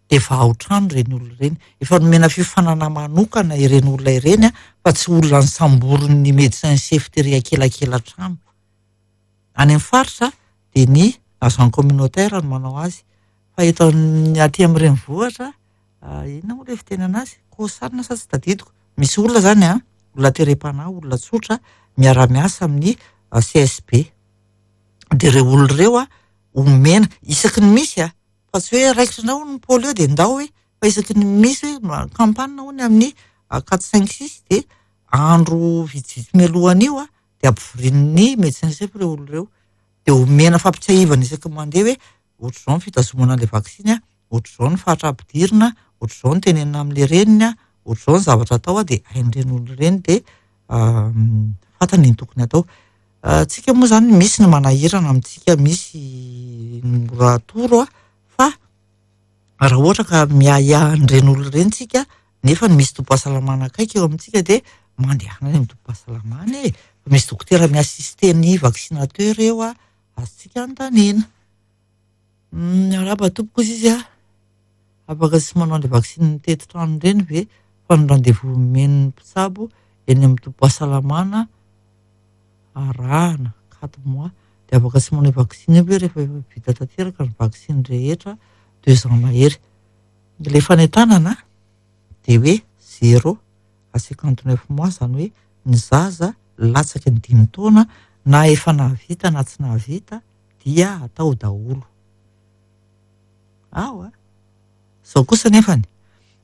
Dia efa ao trano ireny olona ireny. Efa nomena fiofanana manokana ireny olona ireny fa tsy olona nisamborin'ny médecin chef tery akelakela trano. Any amin'ny faritra dia ny agent communautaire no manao azy. Fa eto amin'ny aty amin'ny renivohitra, inona moa ilay fitenenana azy? Kosanina sa tsy tadidiko. Misy olona izany an, olona terem-panahy, olona tsotra, miara-miasa amin'ny CSB. Dia ireo olona ireo an, omena, isaky ny misy an, fa tsy hoe raikitra indray hono ny polio dia ndao hoe, fa isaky ny misy hoe campagne hono amin'ny quatre cinq six dia andro vitsivitsy mialohan'io an, dia ampivorian'ny médecin chef ireo olona ireo. Dia omena fampitsiahivana isaky ny mandeha hoe ohatr'izao ny fitazomana an'ilay vaksiny an, ohatr'izao ny faritra ampidirina, ohatr'izao ny tenenina amin'ilay reniny an, ohatr'izao ny zavatra atao an, dia hain'ireny olona ireny dia fantany ny tokony atao. Tsika moa izany misy ny manahirana amintsika, misy ny mora atoro an, fa raha ohatra ka miahiahy an'ireny olona ireny tsika nefa misy tobim-pahasalamana akaiky eo amintsika dia mandehana any amin'ny tobim-pahasalamana e. Misy dokotera mi-assister ny vaccinateur eo an, azontsika anontaniana. Miarahaba tompoko ozy izy an, afaka tsy manao an'ilay vaksiny mitety trano ireny ve fa ny rendez-vous omen'ny mpitsabo eny amin'ny tobim-pahasalamana arahana quatre mois dia afaka tsy manao vaksiny io ve rehefa efa vita tanteraka ny vaksiny rehetra deux ans mahery. Ilay fanentanana dia hoe zéro à 59 mois, izany hoe ny zaza latsaky ny 5 taona na efa nahavita na tsy nahavita dia atao daholo. Ao a. Izao kosa nefany,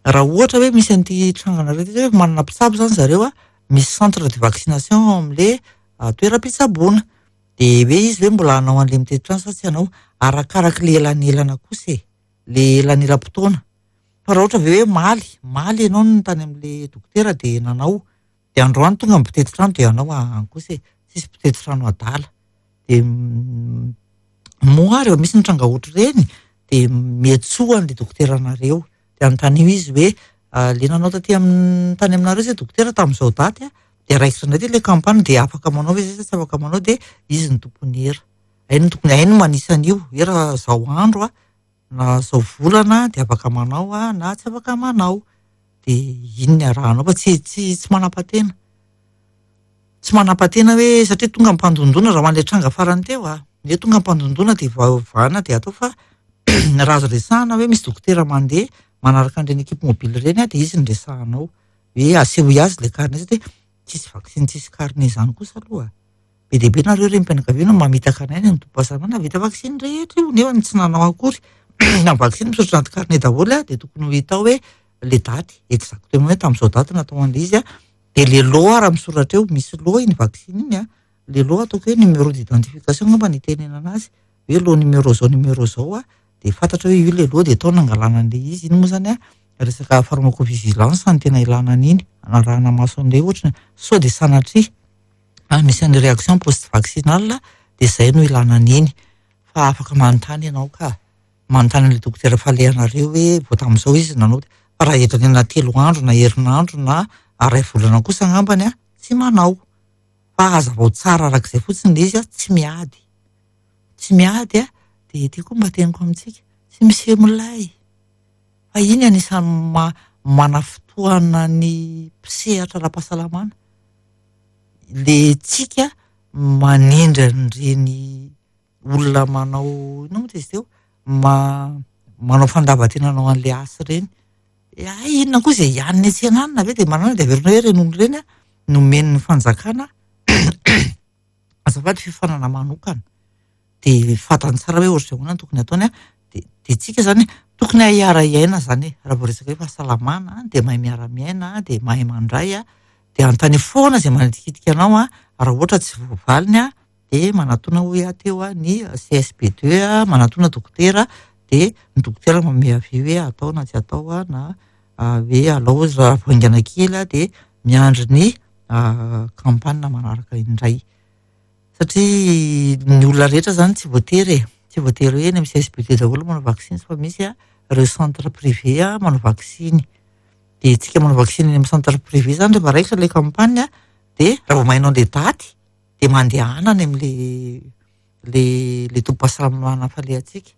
raha ohatra hoe misy an'ity trangana iray ity hoe manana mpitsabo izany zareo a, misy centre de vaccination ao amin'ilay toeram-pitsaboana. Dia hoe izy hoe mbola hanao an'ilay mitety trano sa tsy hanao, arakarak'ilay elanelana kosa e, ilay elanelam-potoana. Fa raha ohatra ve hoe maly, maly ianao no tany amin'ilay dokotera dia nanao, dia androany tonga ny mpitety trano dia hanao any kosa e, tsisy mpitety trano adala. Dia moa rehefa misy ny tranga ohatr'ireny dia miantsoa an'ilay dokoteranareo. Dia anontanio izy hoe le nanao taty amin'ny tany aminareo izay dokotera tamin'izao daty a, dia raikitra indray ilay campagne dia afaka manao ve izay sa tsy afaka manao, dia izy no tompon'ny hera. Hainy tokony hainy manisa an'io hoe raha izao andro a, na izao volana dia afaka manao a, na tsy afaka manao. Dia iny ny arahanao fa tsy tsy tsy manam-patena. Tsy manam-patena hoe satria tonga mpandondona raha ho an'ilay tranga farany teo a, hoe tonga mpandondona dia vahana dia atao fa raha azo resahana hoe misy dokotera mandeha manaraka an'ireny équipe mobile ireny a, dia izy no resahanao hoe asehoy azy ilay carnet satria tsisy vaksiny tsisy carnet izany kosa aloha. Be dia be nareo renim-pianakaviana mamitaka anay any amin'ny tobim-pahasalamana, vita vaksiny rehetra io nefa tsy nanao akory. Na vaksiny misoratra anaty carnet daholo a, dia tokony ho hita ao hoe le daty exactement hoe tamin'izao daty natao an'ilay izy a, dia le lot raha misoratra eo, misy lot iny vaksiny iny a, le lot ataoko hoe numéro d'identification angamba ny itenenana azy, hoe lot numéro zao numéro zao a, dia fantatra hoe io le lot dia tao nangalana an'ilay izy. Iny moa zany a resaka pharmacovigilance no tena ilana an'iny, anarahana maso an'ilay ohatra sao dia sanatria misy an'ilay réaction post vaccinale dia izay no ilana an'iny. Fa afaka manontany ianao ka, manontany an'ilay dokotera falehanareo hoe vao tamin'izao izy nanao, fa raha elanelana 3 andro na herinandro na 1 volana kosa angambany a, tsy manao. Fa hazavao tsara arak'izay fotsiny ilay izy a, tsy miady. Tsy miady a, dia ity koa mba teniko amintsika, tsy miseho milay. Fa iny anisan'ny manafotoana ny mpisehatra ara-pahasalamana. Le tsika manindry an'ireny olona manao inona moa izy teo? Manao fandavan-tena hanao an'ilay asa ireny. Hay inona koa izay hanina etsy ananona ve dia manana dia averina hoe ireny olona ireny nomen'ny fanjakana azafady fiofanana manokana. Dia fantany tsara hoe ohatr'izay ahoana no tokony ataony an. Dia tsika izany tokony hiara-hiaina izany e. Raha vao resaka hoe fahasalamana dia mahay miara-miaina, dia mahay mandray an, dia anontany foana izay manitikitika anao an, raha ohatra tsy voavaliny an, dia manatona hoy aho teo an, ny CSB2 an, manatona dokotera, dia ny dokotera manome avis hoe atao na tsy atao an, na hoe alao izy raha vao haingana kely an, dia miandry ny campagne manaraka indray. Satria ny olona rehetra izany tsy voatery e, tsy voatery hoe eny amin'ny CSB2 daholo manao vaksiny fa misy ireo centre privé manao vaksiny. Dia tsika manao vaksiny eny amin'ny centre privé izany rehefa raikitra ilay campagne dia raha vao maheno an'ilay daty dia mandehana any amin'ilay le le tobim-pahasalamana falehantsika.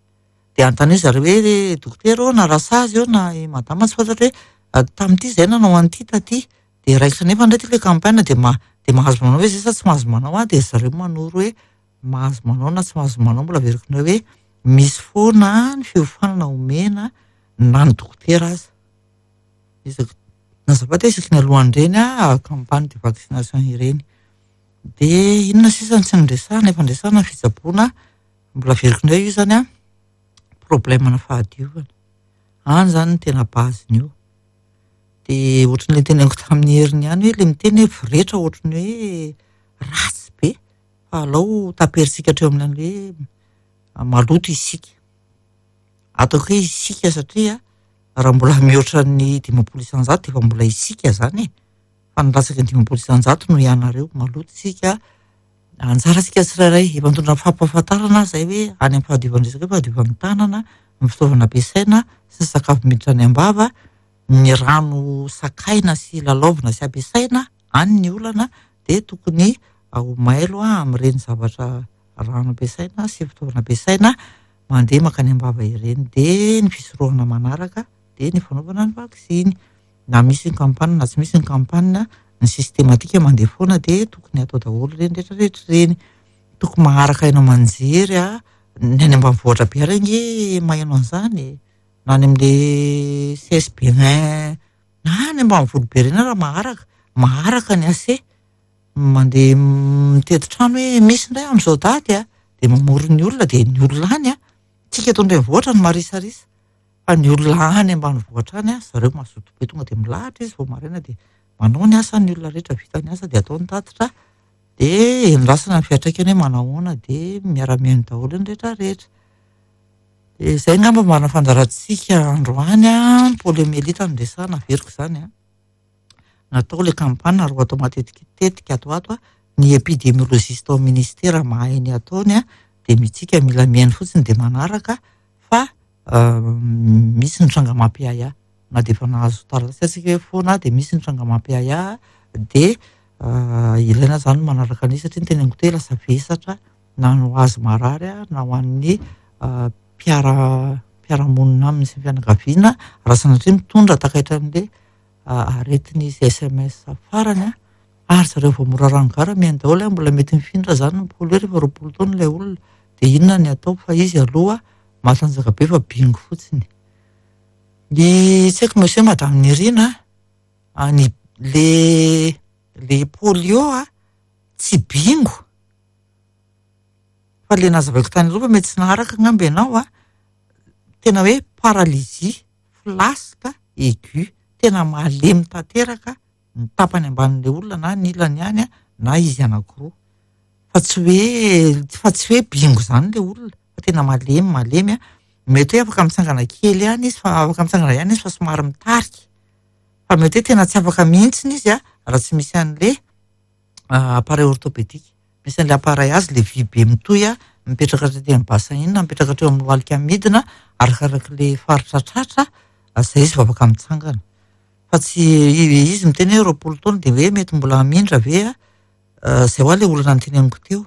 Dia anontaniana zareo hoe dokotera ô na rasazy ô na i madama tsy fantatro hoe tamin'ity izahay nanao an'ity taty. Dia raikitra nefa indray ity ilay campagne dia dia mahazo manao ve izay sa tsy mahazo manao an? Dia zareo manoro hoe mahazo manao na tsy mahazo manao. Mbola averiko indray hoe misy foana ny fiofanana omena na ny dokotera aza. Isaky azafady isaky ny alohan'ireny campagne de vaccination ireny. Dia inona sisa no tsy niresahana? Efa niresahana ny fitsaboana, mbola averiko indray io izany an, problème-na fahadiovana. Any izany no tena base-ny io. Dia ohatran'ilay noteneniko tamin'ny heriny ihany hoe ilay miteny hoe voretra ohatran'ny hoe ratsy be fa alao taperintsika hatreo amin'ny hoe maloto isika. Ataoko hoe isika satria raha mbola mihoatra ny 50% dia efa mbola isika izany e. Fa ny latsaky ny 50% no ianareo maloto isika. Anjarantsika tsirairay efa nitondra fampahafantarana aza izay hoe any amin'ny fahadiovan'ny resaka hoe fahadiovan'ny tanana, ny fitaovana ampiasaina sy ny sakafo miditra any am-bava, ny rano sakaina sy lalaovina sy ampiasaina, any ny olana dia tokony ho mailo amin'ireny zavatra rano ampiasaina sy fitaovana ampiasaina mandeha mankany am-bava ireny. Dia ny fisorohana manaraka dia ny fanaovana ny vaksiny. Na misy ny campagne na tsy misy ny campagne, ny systématique mandeha foana dia tokony atao daholo ireny rehetra rehetra ireny. Tokony maharaka haino aman-jery a, ny any ambanivohitra be ary ange maheno an'izany e. Na any amin'ilay CSB un, na any ambanivolo be ireny ary maharaka, maharaka ny AC. Mandeha mitety trano hoe misy indray amin'izao daty a, dia mamory ny olona dia ny olona any a, tsika eto an-drenivohitra no marisarisa. Fa ny olona any ambanivohitra any, zareo mazoto be tonga dia milahatra izy vao maraina dia manao ny asany ny olona rehetra, vita ny asa dia atao ny tatitra dia endrasana ny fiantraikany hoe manahoana dia miara-mihaino daholo ny rehetra rehetra. Dia izay angamba marina fandaharantsika androany an, poliomyélite no resahana, averiko izany an. Natao ilay campagne ary ho atao matetitetika ato ho ato an, ny épidémiologiste ao amin'ny ministera mahay ny ataony an, dia mitsika mila mihaino fotsiny dia manaraka fa misy ny tranga mampiahiahy na dia efa nahazo taratasy atsika hoe foana dia misy ny tranga mampiahiahy dia ilaina izany ny manaraka an'io satria ny teneniko teo lasa vesatra na ho azy marary na ho an'ny mpiara mpiara-monina aminy sy ny fianakaviana raha sanatria mitondra takaitra an'ilay aretin'izy SMS farany ary zareo vao mora rano gara mihaino daholo mbola mety mifindra izany ny polio rehefa 20 taona ilay olona dia inona ny atao fa izy aloha matanjaka be fa bingo fotsiny. Ny tsy haiko monsieur madame Nirina a, ny le le polio a tsy bingo fa le nazavaiko tany aloha fa mety tsy naharaka angamba ianao a, tena hoe paralysie flasque aiguë, tena malemy tanteraka ny tapany ambanin'ilay olona na ny ilany ihany na izy anankiroa. Fa tsy hoe fa tsy hoe bingo izany ilay olona fa tena malemy malemy a. Mety hoe afaka mitsangana kely ihany izy fa afaka mitsangana ihany izy fa somary mitarika. Fa mety hoe tena tsy afaka mihitsy izy a raha tsy misy an'ilay appareil orthopédique. Misy an'ilay appareil azy ilay vy be mitohy a, mipetraka hatrety amin'ny bassin iny na mipetraka hatreo amin'ny lohalika midina arakarak'ilay faritra tratra, izay izy vao afaka mitsangana. Fa tsy izy miteny hoe 20 taona dia hoe mety mbola hamindra ve a? Izay hoa ilay olana noteneniko teo.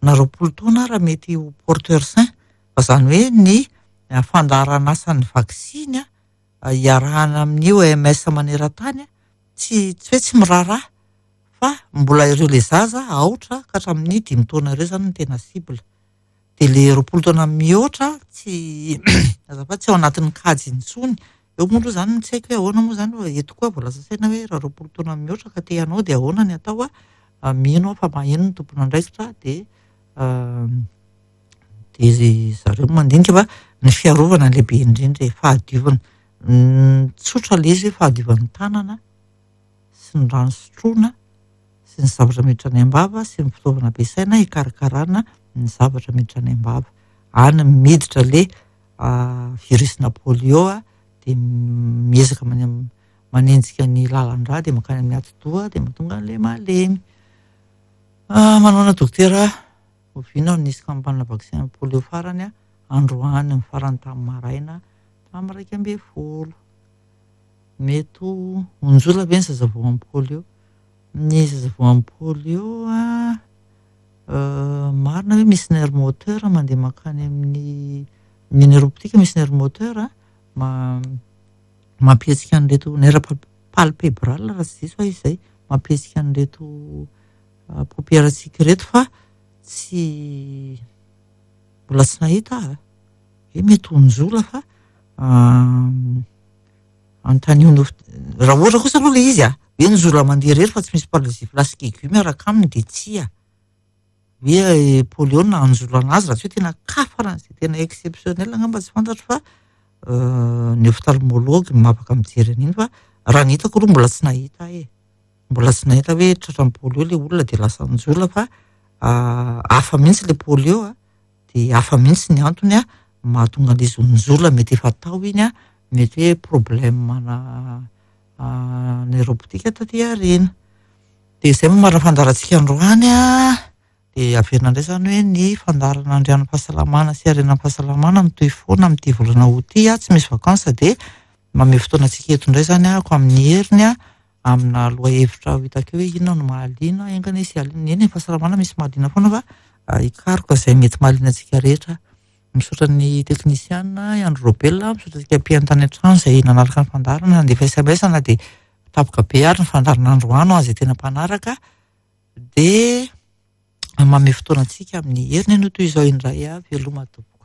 Na 20 taona ara mety ho porteur sain. Fa izany hoe ny fandaharan'asan'ny vaksiny iarahana amin'ny OMS maneran-tany tsy tsy hoe tsy miraharaha. Fa mbola ireo le zaza aotra ka hatramin'ny 5 taona ireo zany no tena cible. Dia le 20 taona mihoatra tsy azafady tsy ao anatin'ny kajy intsony. Eo moa aloha zany tsy haiko hoe ahoana moa zany fa eto koa vao lasa saina hoe raha 20 taona mihoatra ka te hanao dia ahoana ny atao a? Mino aho fa maheno ny tompon'andraikitra dia dia zareo mandinika fa ny fiarovana lehibe indrindra e, fahadiovana. Tsotra le izy hoe fahadiovan'ny tanana sy ny rano sotroina sy ny zavatra miditra any am-bava sy ny fitaovana ampiasaina hikarakarana ny zavatra miditra any am-bava. Any miditra le virus-na polio dia miezaka manenjika ny lalan-drà dia mankany amin'ny atidoha dia mahatonga an'ilay malemy. Manaona dokotera, oviana no nisy campagne vaccin polio farany? Androany ny farany tamin'ny maraina tamin'ny 11. Mety ho onjola ve ny zaza voan'ny polio? Ny zaza voan'ny polio marina hoe misy nerf moteur mandeha mankany amin'ny ny nerf optique misy nerf moteur mampihetsika an'ireto nerf palpébral raha tsy diso aho izay mampihetsika an'ireto paupière-ntsika ireto fa tsy mbola tsy nahita aho. Hoe mety ho onjola fa anontanio ny raha ohatra kosa aloha ilay izy a, hoe njola mandeha irery fa tsy misy paralysie flasque aiguë miaraka aminy dia tsia. Hoe polio no nahanjola anazy raha tsy hoe tena cas faran'izay tena exceptionnel angamba tsy fantatro fa ny ophtalmologue no afaka mijery an'iny fa raha ny hitako aloha mbola tsy nahita aho e. Mbola tsy nahita hoe tratran'ny polio ilay olona dia lasa njola fa hafa mihitsy ilay polio a, dia hafa mihitsy ny antony a mahatonga an'ilay izy ho njola, mety efa tao iny a, mety hoe problème na neuroptique taty aoriana. Dia izay moa marina fandaharantsika androany a, dia averina indray izany hoe ny fandaharana andrian'ny fahasalamana sy harenan'ny fahasalamana mitohy foana amin'ity volana août ity a, tsy misy vacances dia mamehy fotoana antsika eto indray izany ahako amin'ny heriny a, amina lohahevitra ho hitako eo hoe inona no mahaliana, enga anie sy hahaliana, eny e, fahasalamana misy mahaliana foana fa hikaroka izay mety mahaliana antsika rehetra. Misaotra ny teknisiana i Andry Robel, misaotra antsika mpihaino tany an-trano izay nanaraka ny fandaharana, nandefa SMS na dia tapoka be ary ny fandaharana androany ho an'izay tena mpanaraka dia mamehy fotoana antsika amin'ny heriny anio toy izao indray a, veloma tompoko.